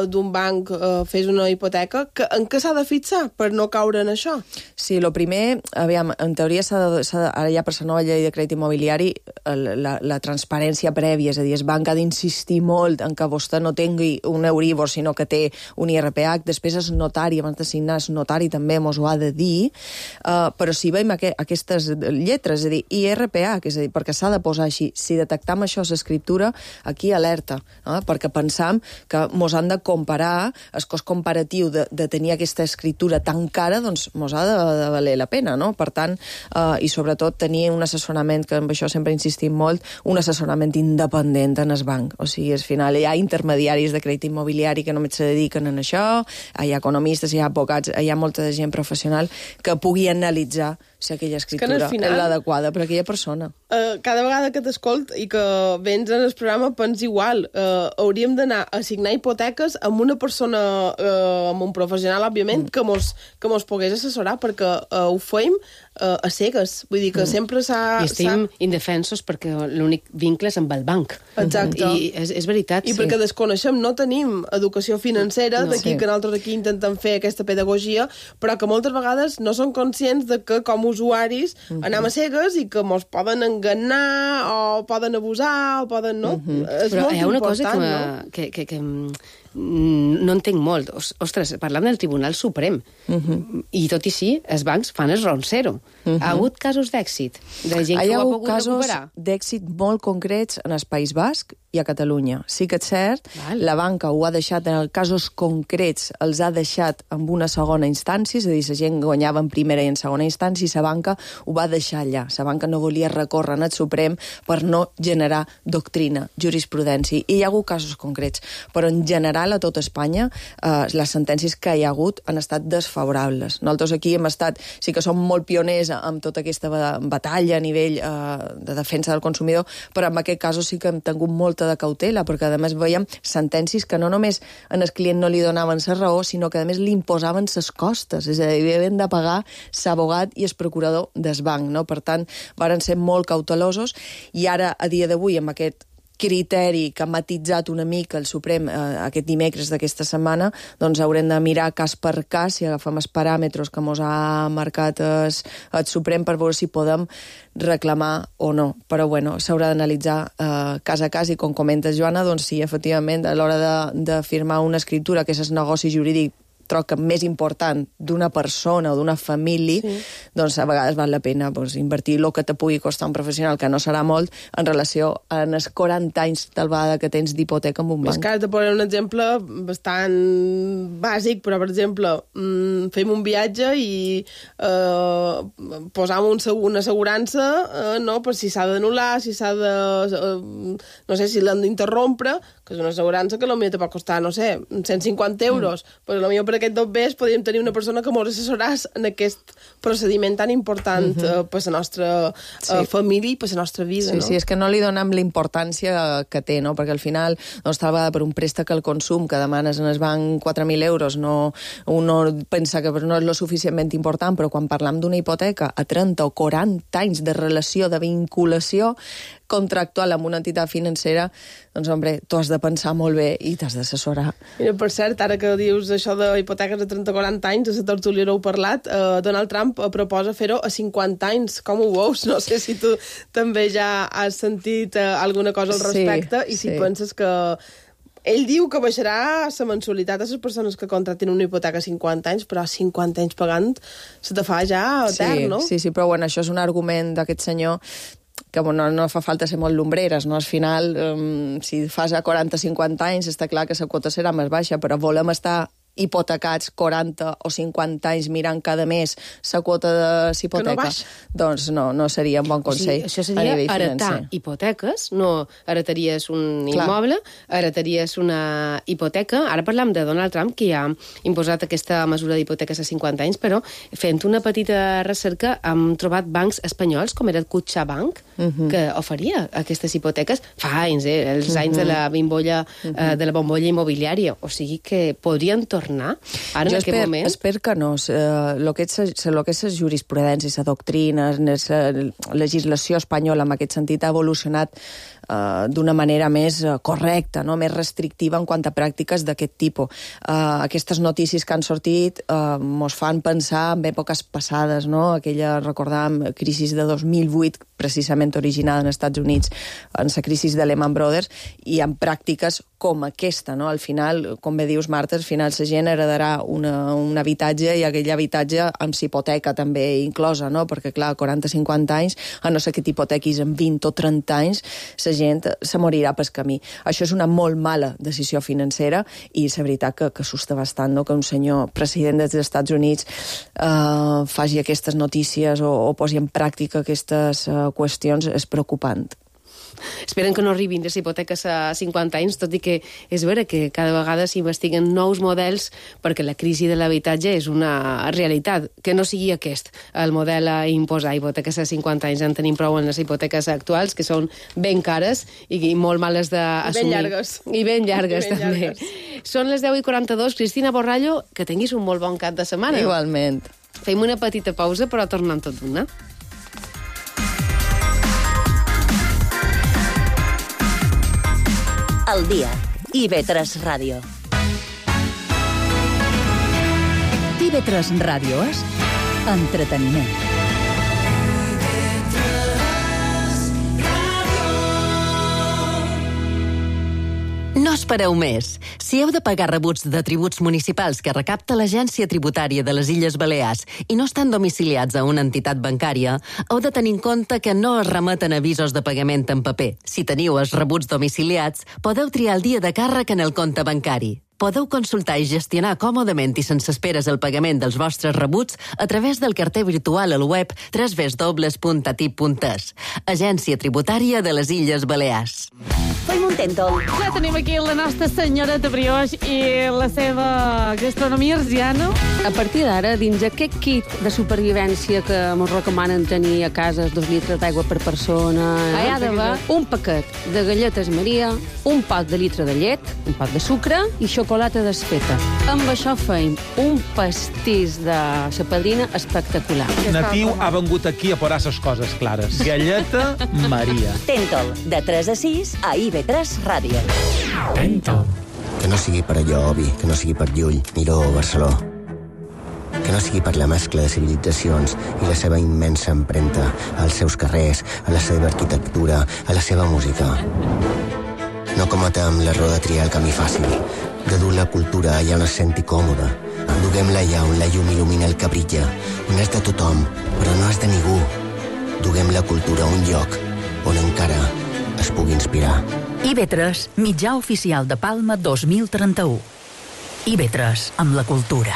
d'un banc fes una hipoteca, en què s'ha de fixar per no caure en això? Sí, el primer, aviam, en teoria ara ja per la nova llei de crèdit immobiliari la transparència prèvia, és a dir, el banc ha d'insistir molt en que vostè no tingui un Euribor, sinó que té un IRPH, després és notari, abans de signar és notari també mos ho ha de dir, però si veiem aquestes lletres, és a dir, IRPH, és a dir, perquè s'ha de posar així, si detectam això a l'escriptura, aquí alerta, perquè pensam que mos han de comparar, el cost comparatiu de tenir aquesta escriptura tan cara, doncs mos ha de valer la pena, no? Per tant, i sobretot tenir un assessorament, que amb això sempre insistim molt, un assessorament independent en el banc. O sigui, al final hi ha intermediaris de crèdit immobiliari que només se dediquen a això, hi ha economistes, hi ha advocats, hi ha molta de gent professional que pugui analitzar si aquella escriptura és l'adequada per a aquella persona. Cada vegada que t'escolt i que vens en el programa pens igual. Hauríem d'anar a signar hipoteques amb una persona, amb un professional, òbviament, que mos pogués assessorar, perquè ho fem a cegues. Vull dir que sempre s'ha... I estem indefensos perquè l'únic vincle és amb el banc. Exacte. I és veritat, I perquè desconeixem, no tenim educació financera, d'aquí que nosaltres aquí intentem fer aquesta pedagogia, però que moltes vegades no són conscients de que com a usuaris anem a cegues i que mos poden enganar o poden abusar o poden... No? És però molt hi ha una important, cosa que no entenc molt. Ostres, parlant del Tribunal Suprem, i tot i sí, els bancs fan el roncero. Ha hagut casos d'èxit de gent que ho ha pogut recuperar? Hi ha casos d'èxit molt concrets en el País Basc i a Catalunya. Sí que és cert, la banca ho ha deixat, en casos concrets, els ha deixat en una segona instància, és a dir, la gent guanyava en primera i en segona instància, i la banca ho va deixar allà. La banca no volia recórrer en el Suprem per no generar doctrina, jurisprudència. I hi ha hagut casos concrets, però en general a tot Espanya les sentències que hi ha hagut han estat desfavorables. Nosaltres aquí hem estat, sí que som molt pioners amb tota aquesta batalla a nivell de defensa del consumidor, però en aquest cas sí que hem tingut molta de cautela, perquè a més veiem sentències que no només al client no li donaven la raó, sinó que a més li imposaven les costes, és a dir, havien de pagar l'abogat i el procurador del banc, no? Per tant, varen ser molt cautelosos, i ara, a dia d'avui, amb aquest criteri que ha matitzat una mica el Suprem aquest dimecres d'aquesta setmana, doncs haurem de mirar cas per cas, si agafem els paràmetres que ens ha marcat el Suprem, per veure si podem reclamar o no. Però bueno, s'haurà d'analitzar cas a cas, i com comentes, Joana, doncs sí, efectivament, a l'hora de firmar una escriptura, que és el negoci jurídic troca més important d'una persona o d'una família, doncs a vegades val la pena invertir el que te pugui costar un professional, que no serà molt, en relació a els 40 anys d'albada que tens d'hipoteca en un banc. És que has de posar un exemple bastant bàsic, però, per exemple, fem un viatge i posam una assegurança, no?, per si s'ha d'anul·lar, si s'ha de... no sé, si l'han d'interrompre, que és una assegurança que potser te pot costar, no sé, 150 euros, però potser per aquest dobbers podríem tenir una persona que ens assessoràs en aquest procediment tan important per la nostra família i per la nostra vida. Sí, és que no li donem la importància que té, no? Perquè al final, tal vegada per un préstec al consum que demanes en el banc 4.000 euros, uno pensa que no és lo suficientment important, però quan parlam d'una hipoteca a 30 o 40 anys de relació, de vinculació contractual amb una entitat financera, doncs, home, tu has de pensar molt bé i t'has d'assessorar. Mira, per cert, ara que dius això d'hipoteques de 30-40 anys, a la tertúlia heu parlat, Donald Trump proposa fer-ho a 50 anys. Com ho veus? No sé si tu també ja has sentit alguna cosa al respecte, i si penses que... Ell diu que baixarà la mensualitat a les persones que contractin una hipoteca a 50 anys, però 50 anys pagant se te fa ja etern, no? Sí, però bueno, això és un argument d'aquest senyor que no fa falta ser molt lumbreres, no? Al final, si fas a 40-50 anys, està clar que la quota serà més baixa, però volem estar hipotecats 40 o 50 anys mirant cada mes la quota de l'hipoteca, doncs no seria un bon consell. Això seria heretar hipoteques, no heretaries un immoble, heretaries una hipoteca. Ara parlam de Donald Trump, que ha imposat aquesta mesura d'hipoteques a 50 anys, però fent una petita recerca hem trobat bancs espanyols, com era el CaixaBank, que oferia aquestes hipoteques fa anys, els anys de la bombolla immobiliària. O sigui que podrien tornar ara en aquest moment? Espero que no. El que és la jurisprudència, la doctrina, la legislació espanyola en aquest sentit ha evolucionat d'una manera més correcta, no? Més restrictiva en quant a pràctiques d'aquest tipus. Aquestes notícies que han sortit mos fan pensar en èpoques passades, no? Aquella, recordàvem, crisi de 2008, precisament originada als Estats Units, en la crisi de Lehman Brothers, i en pràctiques com aquesta, no? Al final, com bé dius, Marta, al final la gent heredarà un habitatge, i aquell habitatge amb hipoteca també inclosa, no? Perquè, clar, 40-50 anys, a no ser que t'hipotequis en 20 o 30 anys, la gent se morirà pel camí. Això és una molt mala decisió financera, i és veritat que assusta bastant, no? Que un senyor president dels Estats Units faci aquestes notícies o posi en pràctica aquestes qüestions, és preocupant. Esperen que no arribin les hipoteques a 50 anys, tot i que és vera que cada vegada s'investiguen nous models, perquè la crisi de l'habitatge és una realitat, que no sigui aquest el model a imposar hipoteques a 50 anys. En tenim prou en les hipoteques actuals, que són ben cares i molt males d'assumir. I ben llargues. I ben llargues, també. Són les 10:42. Cristina Borrallo, que tinguis un molt bon cap de setmana. Igualment. Fem una petita pausa, però tornem tot d'una. Al dia. IB3 Ràdio. IB3 Ràdio és entreteniment. No espereu més. Si heu de pagar rebuts de tributs municipals que recapta l'Agència Tributària de les Illes Balears i no estan domiciliats a una entitat bancària, heu de tenir en compte que no es remeten avisos de pagament en paper. Si teniu els rebuts domiciliats, podeu triar el dia de càrrec en el compte bancari. Podeu consultar i gestionar còmodament i sense esperes el pagament dels vostres rebuts a través del carter virtual al web www.atip.es. Agència Tributària de les Illes Balears. Fem un tèntol. Ja tenim aquí la nostra senyoreta Brioix i la seva gastronomia arsiana. A partir d'ara, dins aquest kit de supervivència que ens recomanen tenir a casa 2 litres d'aigua per persona, hi ha d'haver un paquet de galletes Maria, un pot de litre de llet, un pot de sucre i xocolata desfeta. Amb això feim un pastís de sa padrina espectacular. Natiu ha vengut aquí a posar ses coses clares. Galleta Maria. Tèntol, de 3 a 6 a IB3 Ràdio. Tèntol. Que no sigui per allò, Obi, que no sigui per Llull, Miró o Barceló. Que no sigui per la mescla de civilitzacions i la seva immensa empremta als seus carrers, a la seva arquitectura, a la seva música. No cometem l'error de triar el camí fàcil, de dur la cultura allà on es senti còmode. Duguem-la allà on la llum il·lumina el que brilla, on és de tothom, però no és de ningú. Duguem la cultura a un lloc on encara es pugui inspirar. IB3, mitjà oficial de Palma 2031. IB3, amb la cultura.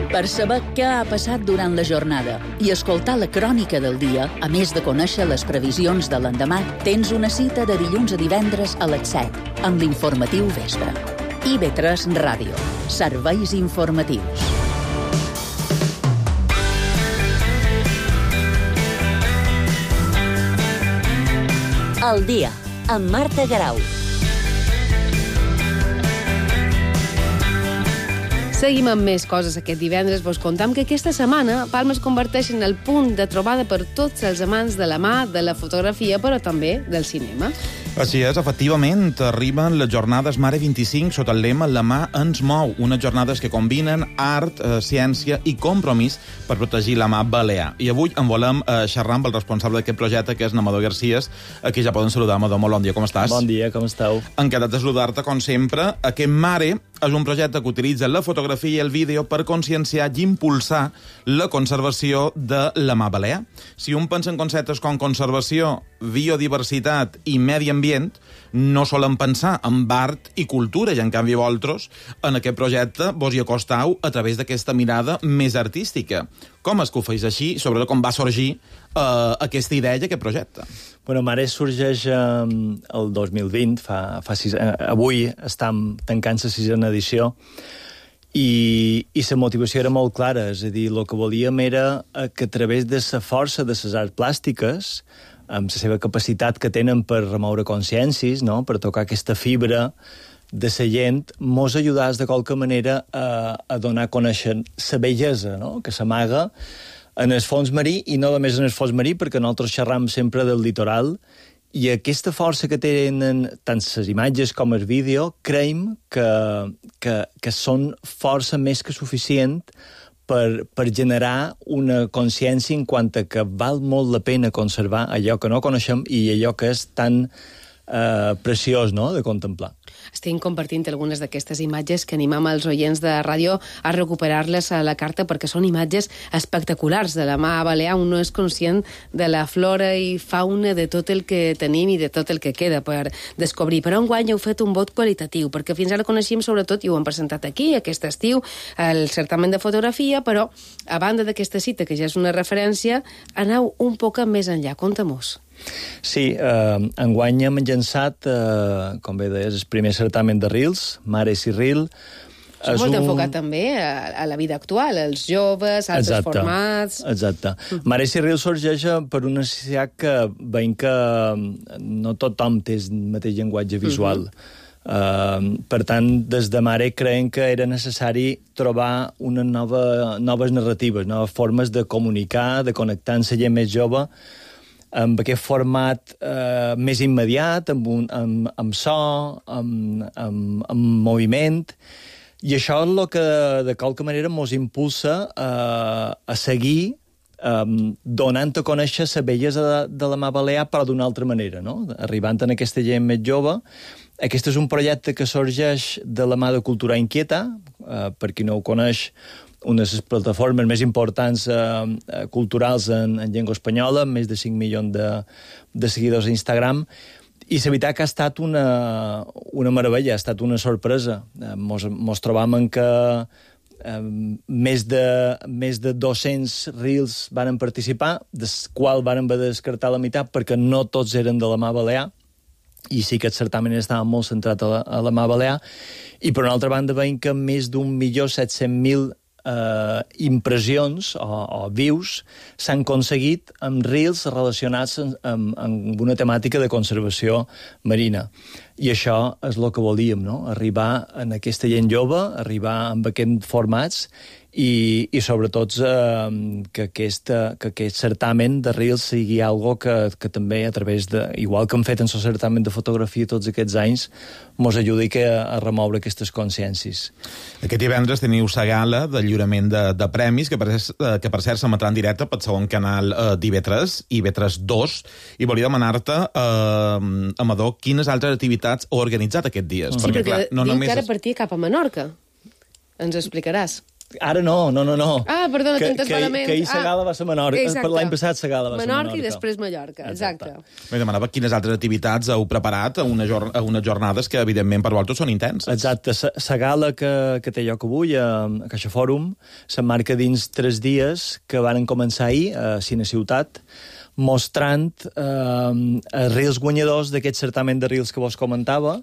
Per saber què ha passat durant la jornada i escoltar la crònica del dia, a més de conèixer les previsions de l'endemà, tens una cita de dilluns a divendres a les 7, amb l'informatiu vespre. IB3 Ràdio. Serveis informatius. El dia, amb Marta Garau. Seguim amb més coses aquest divendres. Vos contam que aquesta setmana Palma es converteix en el punt de trobada per tots els amants de la mà, de la fotografia, però també del cinema. Així és, efectivament, arriben les jornades Mare 25 sota el lema La mà ens mou, unes jornades que combinen art, ciència i compromís per protegir la mà balear. I avui en volem xerrar amb el responsable d'aquest projecte, que és Amador Garcías, a qui ja poden saludar. Amador, molt bon dia, com estàs? Bon dia, com esteu? Encantat de saludar-te, com sempre. Aquest Mare és un projecte que utilitza la fotografia i el vídeo per conscienciar i impulsar la conservació de la mà balear. Si un pensa en conceptes com conservació, biodiversitat i medi ambient, no solen pensar en art i cultura, i en canvi vosaltres en aquest projecte vos hi acostau a través d'aquesta mirada més artística. Com és que ho feis així? Sobretot com va sorgir aquesta idea i aquest projecte? Bueno, Mare sorgeix el 2020, avui estem tancant la 6a edició, i la motivació era molt clara, és a dir, el que volíem era que a través de la força de les arts plàstiques, amb la seva capacitat que tenen per remoure consciències, no? Per tocar aquesta fibra de la gent, mos ajudàs de qualque manera a donar a conèixer la bellesa, no? Que s'amaga en el fons marí, i no només en el fons marí, perquè nosaltres xerram sempre del litoral, i aquesta força que tenen tant les imatges com el vídeo, creiem que són força més que suficient per generar una consciència en quant a que val molt la pena conservar allò que no coneixem i allò que és tan preciós, no?, de contemplar. Estem compartint algunes d'aquestes imatges que animam els oients de ràdio a recuperar-les a la carta, perquè són imatges espectaculars de la mà balear. Un no és conscient de la flora i fauna de tot el que tenim i de tot el que queda per descobrir. Però enguany heu fet un vot qualitatiu, perquè fins ara coneixíem sobretot, i ho hem presentat aquí, aquest estiu, el certamen de fotografia, però a banda d'aquesta cita, que ja és una referència, aneu un poc més enllà. Conta-mos. Sí, enguany hem llançat, com bé deies, el primer certamen de Reels, Mares i Reel. És molt enfocat també a la vida actual, als joves, als formats... Exacte. Mares i Reel sorgeix per una necessitat que veiem que no tothom té el mateix llenguatge visual. Per tant, des de Mare creiem que era necessari trobar unes noves narratives, noves formes de comunicar, de connectar amb la gent més jove, amb aquest format més immediat, amb so, amb moviment, I això és el que, de qualque manera, ens impulsa a seguir donant a conèixer les bellesa de la mà balear, però d'una altra manera, no? Arribant a aquesta gent més jove. Aquest és un projecte que sorgeix de la mà de Cultura Inquieta, per qui no ho coneix, una de les plataformes més importants culturals en llengua espanyola, amb més de 5 milions de seguidors a Instagram, i la veritat que ha estat una meravella, ha estat una sorpresa. Mos trobam en que més de 200 reels varen participar, dels quals varen haver de descartar la meitat perquè no tots eren de la mà balear, i sí que el certamen estava molt centrat a la mà balear, i per una altra banda veiem que més d'1.700.000 impressions o views s'han aconseguit amb reels relacionats amb una temàtica de conservació marina. I això és el que volíem, no? Arribar en aquesta gent jove, arribar amb aquests formats i sobretot que aquest certamen de reels sigui algo que també a través de, igual que hem fet en el certamen de fotografia tots aquests anys, mos ajudi a remoure aquestes consciències. Aquest divendres teniu la gala de lliurament de premis, que per cert s'emetrà en directe pel segon canal d'IV3, IV3 2, i volia demanar-te, Amador, quines altres activitats heu organitzat aquests dies? Sí, perquè clar, no diu que ara partia cap a Menorca. Ens ho explicaràs. Ara no. Ah, perdona, t'entens malament. Que ahir la gala va ser Menorca. L'any passat la gala va ser Menorca. Menorca i després Mallorca, exacte. M'he demanava quines altres activitats heu preparat a unes jornades que, evidentment, per vosaltres són intenses. Exacte. La gala que té lloc avui a Caixa Fòrum s'emmarca dins 3 dies que van començar ahir a Cine Ciutat, mostrant reels guanyadors d'aquest certamen de reels que vos comentava.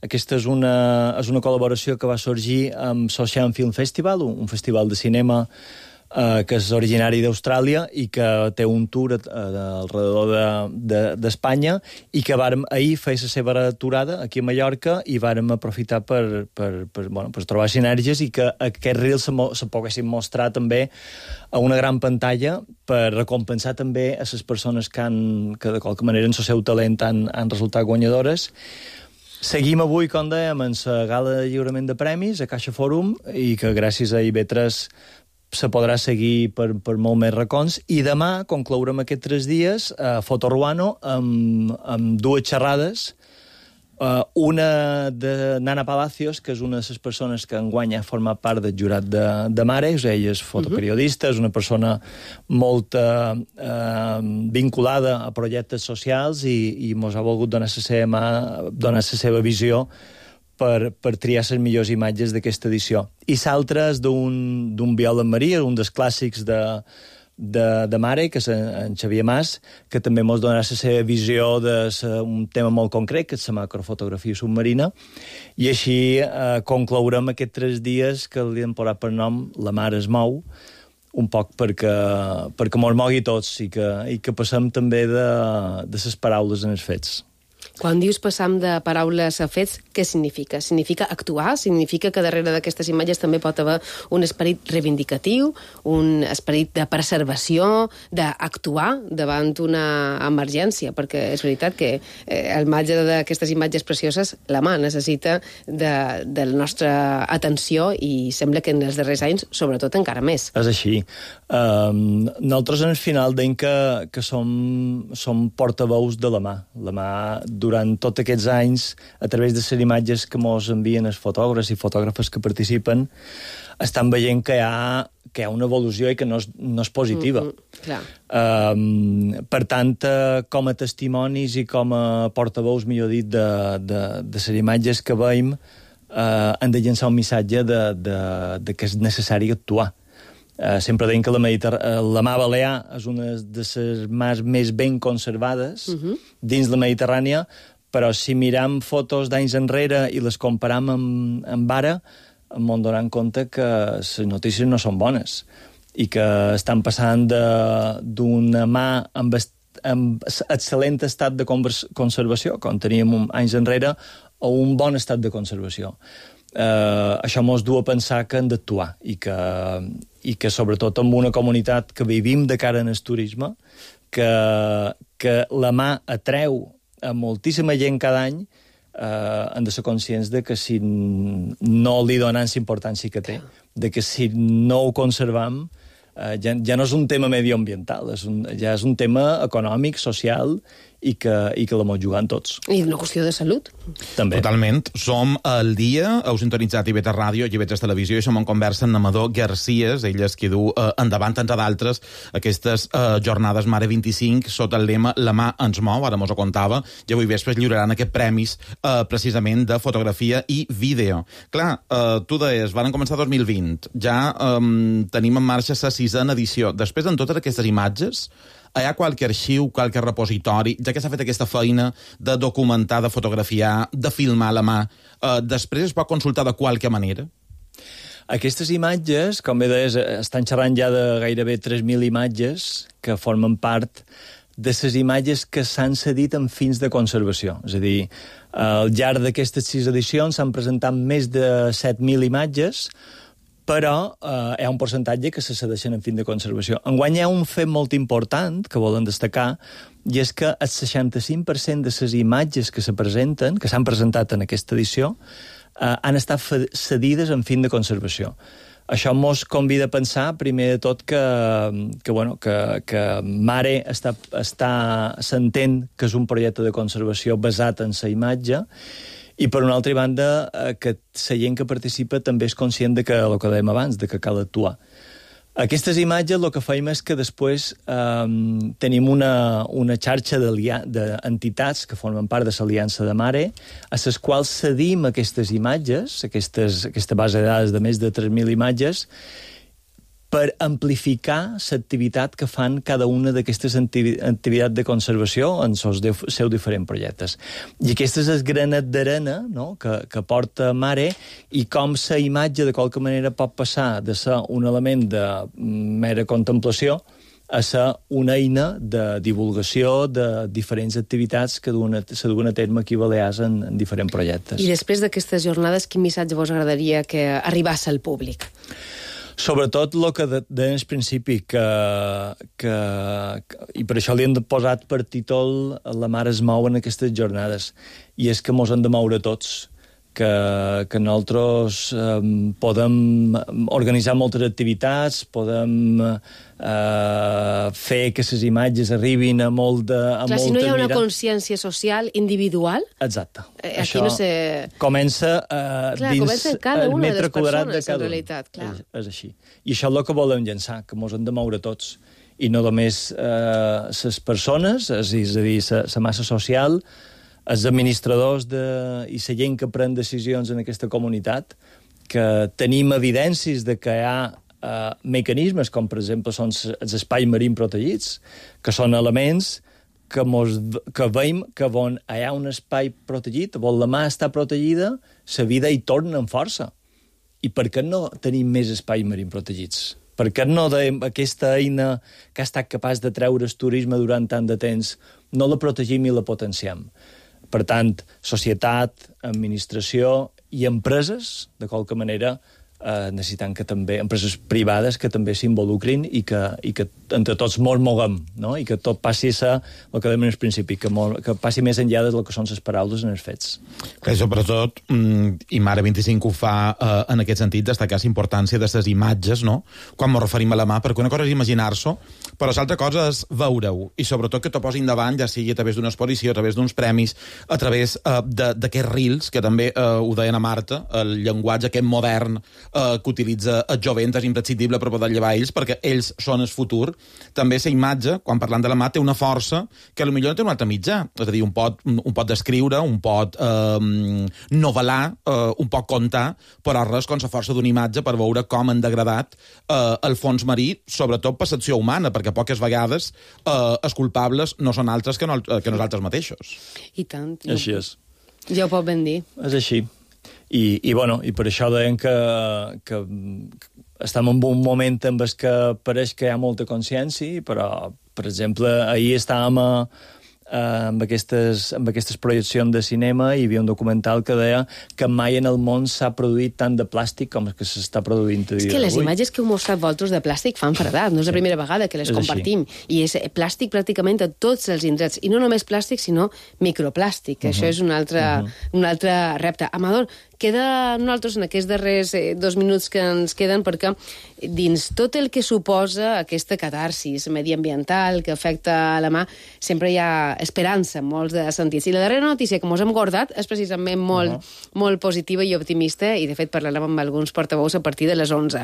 Aquesta és una col·laboració que va sorgir amb Sochian Film Festival, un festival de cinema que és originari d'Austràlia i que té un tour alrededor d'Espanya i que vàrem ahir fer la seva aturada aquí a Mallorca i vàrem aprofitar per trobar sinergies i que aquests reels se poguessin mostrar també a una gran pantalla per recompensar també a les persones que de qualque manera en el seu talent han resultat guanyadores. Seguim avui, com dèiem, en la gala de lliurament de premis a Caixa Fòrum i que gràcies a IB3 se podrà seguir per molt més racons. I demà conclourem aquests 3 dies a Fotoruano amb 2 xerrades. Una de Nana Palacios, que és una de les persones que enguany ha format part del jurat de Mares. Ella és fotoperiodista, és una persona molt vinculada a projectes socials i mos ha volgut donar la seva visió per triar les millors imatges d'aquesta edició. I l'altre és d'un Viola Maria, un dels clàssics de Mare, que és en Xavier Mas, que també ens donarà la seva visió d'un tema molt concret, que és la macrofotografia submarina, i així conclourem aquests 3 dies que li hem posat per nom La Mar es mou, un poc perquè mos mogui tots i que passem també de les paraules en els fets. Quan dius passam de paraules a fets, què significa? Significa actuar? Significa que darrere d'aquestes imatges també pot haver un esperit reivindicatiu, un esperit de preservació, d'actuar davant una emergència? Perquè és veritat que al marge d'aquestes imatges precioses, la mà necessita de la nostra atenció i sembla que en els darrers anys, sobretot, encara més. És així. Nosaltres, al final, deim que som portaveus de la mà. La mà, durant tots aquests anys, a través de les imatges que mos envien els fotògrafs i fotògrafes que participen, estan veient que hi ha una evolució i que no és positiva. Per tant, com a testimonis i com a portaveus, millor dit, de les imatges que veiem, han de llançar un missatge de que és necessari actuar. Sempre deim que la mà balear és una de les mars més ben conservades dins la Mediterrània, però si miram fotos d'anys enrere i les comparam amb ara, em donem compte que les notícies no són bones i que estan passant d'una mà amb excel·lent estat de conservació, com teníem anys enrere, a un bon estat de conservació. Això mos du a pensar que hem d'actuar i que sobretot en una comunitat que vivim de cara en el turisme, que la mà atreu a moltíssima gent cada any, hem de ser conscients de que si no li donem la importància que té, de que si no ho conservam, ja no és un tema medioambiental, ja és un tema econòmic, social, i que la mos jugant tots. I una qüestió de salut. També. Totalment. Som al dia, heu sintonitzat IB3 Ràdio i IB3 Televisió, i som en conversa amb Amador Garcías, ell és qui du endavant, entre d'altres, aquestes jornades Mare 25, sota el lema La mà ens mou, ara mos ho contava, i avui vespre es lliuraran aquests premis precisament de fotografia i vídeo. Clar, tu deies, van començar 2020, ja tenim en marxa la 6ª edició. Després, en totes aquestes imatges, hi ha qualque arxiu, qualque repositori, ja que s'ha fet aquesta feina de documentar, de fotografiar, de filmar a la mà, després es pot consultar de qualque manera? Aquestes imatges, com bé deies, estan xerrant ja de gairebé 3.000 imatges que formen part de les imatges que s'han cedit amb fins de conservació. És a dir, al llarg d'aquestes 6 edicions s'han presentat més de 7.000 imatges, però hi ha un percentatge que se cedeixen en fin de conservació. Enguany hi ha un fet molt important que volen destacar, i és que el 65% de les imatges que se presenten, que s'han presentat en aquesta edició, han estat cedides en fin de conservació. Això mos convida a pensar, primer de tot, que Mare s'entén que és un projecte de conservació basat en la imatge, i, per una altra banda, que la gent que participa també és conscient de que, el que dèiem abans, de que cal actuar. Aquestes imatges el que feim és que després tenim una xarxa d'entitats que formen part de l'Aliança de Mare, a les quals cedim aquestes imatges, aquesta base de dades de més de 3.000 imatges, per amplificar l'activitat que fan cada una d'aquestes activitats de conservació en els seus diferents projectes. I aquest és el granet d'arena, no?, que porta Mare, i com la imatge de qualque manera pot passar de ser un element de mera contemplació a ser una eina de divulgació de diferents activitats que se duen a terme aquí a Balears en diferents projectes. I després d'aquestes jornades, quin missatge vos agradaria que arribés al públic? Sobretot el que deia al principi, i per això li hem posat per títol La mare es mou en aquestes jornades, i és que mos hem de moure tots, que nosaltres podem organitzar moltes activitats, podem fer que les imatges arribin a moltes Clar, si no hi ha una consciència social individual... Exacte. Aquí no sé... Comença dins cada una de les persones, en realitat. És així. I això és el que volem llançar, que mos hem de moure tots. I no només les persones, és a dir, la massa social, els administradors i la gent que pren decisions en aquesta comunitat, que tenim evidències de que hi ha mecanismes, com per exemple són els espais marins protegits, que són elements que veiem que on hi ha un espai protegit, on la mà està protegida, la vida hi torna amb força. I per què no tenim més espais marins protegits? Per què no aquesta eina que ha estat capaç de treure el turisme durant tant de temps no la protegim i la potenciem? Per tant, societat, administració i empreses, de qualque manera, necessitant que també empreses privades que també s'involucrin i que entre tots mos moguem, no? I que tot passi a el que dèiem al principi, que passi més enllà del que són les paraules en els fets. Que sobretot, i Mare 25 ho fa en aquest sentit, destacar la importància de les imatges, no?, quan ens referim a la mà, perquè una cosa és imaginar-s'ho, però l'altra cosa és veure-ho, i sobretot que t'ho posin davant, ja sigui a través d'una exposició, a través d'uns premis, a través d'aquests reels, que també ho deien a Marta, el llenguatge aquest modern que utilitza el jovent és imprescindible per poder llevar ells, perquè ells són el futur. També la imatge, quan parlant de la mà, té una força que potser no té un altre mitjà. És a dir, un pot descriure, un pot novel·lar, un pot contar, però res com la força d'una imatge per veure com han degradat el fons marí, sobretot percepció humana, perquè poques vegades els culpables no són altres que nosaltres mateixos. I tant. Així és. Ja ho pot ben dir. És així. I per això deien que estem en un moment en què pareix que hi ha molta consciència, però, per exemple, ahir estàvem amb aquestes projeccions de cinema hi havia un documental que deia que mai en el món s'ha produït tant de plàstic com que s'està produint a dia d'avui. És que les imatges que heu mostrat vosaltres de plàstic fan fredat, no és la primera vegada que les compartim. I és plàstic pràcticament a tots els indrets. I no només plàstic, sinó microplàstic. Això és un altre repte. Amador, queda nosaltres en aquests darrers 2 minuts que ens queden, perquè dins tot el que suposa aquesta catarsis mediambiental que afecta la mà, sempre hi ha esperança en molts de sentits. I la darrera notícia que ens hem guardat és precisament molt positiva i optimista, i de fet parlarem amb alguns portaveus a partir de les 11.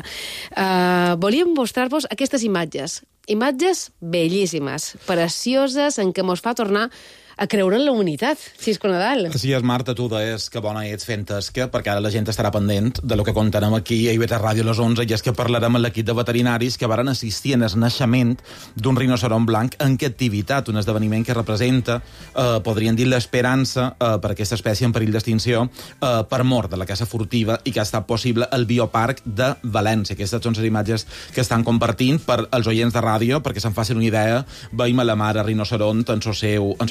Volíem mostrar-vos aquestes imatges bellíssimes, precioses, en què ens fa tornar a creure en la unitat, Xisco Nadal. Així és, Marta, tu deies que bona ets fent tasca, perquè ara la gent estarà pendent de lo que contarem aquí a IB3 Ràdio a les 11, i és que parlarem amb l'equip de veterinaris que varen assistir en el naixement d'un rinoceront blanc en captivitat, un esdeveniment que representa, podríem dir, l'esperança per aquesta espècie en perill d'extinció per mort de la caça furtiva, i que ha estat possible al Bioparc de València. Aquestes són les imatges que estan compartint per als oients de ràdio, perquè se'n facin una idea. Veiem a la mare rinoceront en el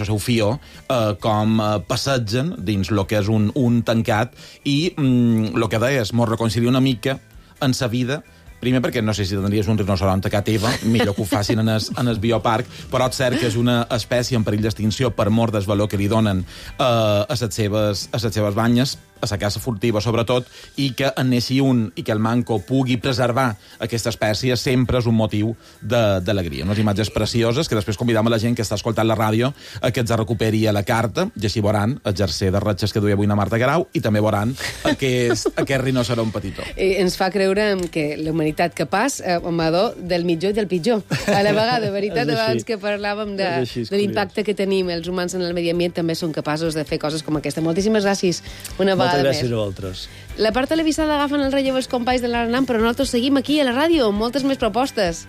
seu fill com passegen dins el que és un tancat, i el que deies, mos reconcilia una mica en sa vida. Primer perquè no sé si tindries un rinoceront a casa teva, millor que ho facin en el bioparc, però és cert que és una espècie en perill d'extinció per mort del valor que li donen a les seves banyes, a la caça furtiva sobretot, i que en neixi un i que el manco pugui preservar aquesta espècie sempre és un motiu d'alegria. Unes imatges precioses que després convidam a la gent que està escoltant la ràdio a que ens recuperi a la carta, i així veuran el jersei de ratxes que duia avui na Marta Guerau, i també veuran aquest rinoceront petitó. Ens fa creure que la humanitat capaç, Amador, del millor i del pitjor. A la vegada, veritat, abans que parlàvem de l'impacte que tenim els humans en el medi ambient, també són capaços de fer coses com aquesta. Moltíssimes gràcies una vegada. Moltes gràcies a vosaltres. La part televisada agafen el relleu els companys de l'Aranam, però nosaltres seguim aquí a la ràdio amb moltes més propostes.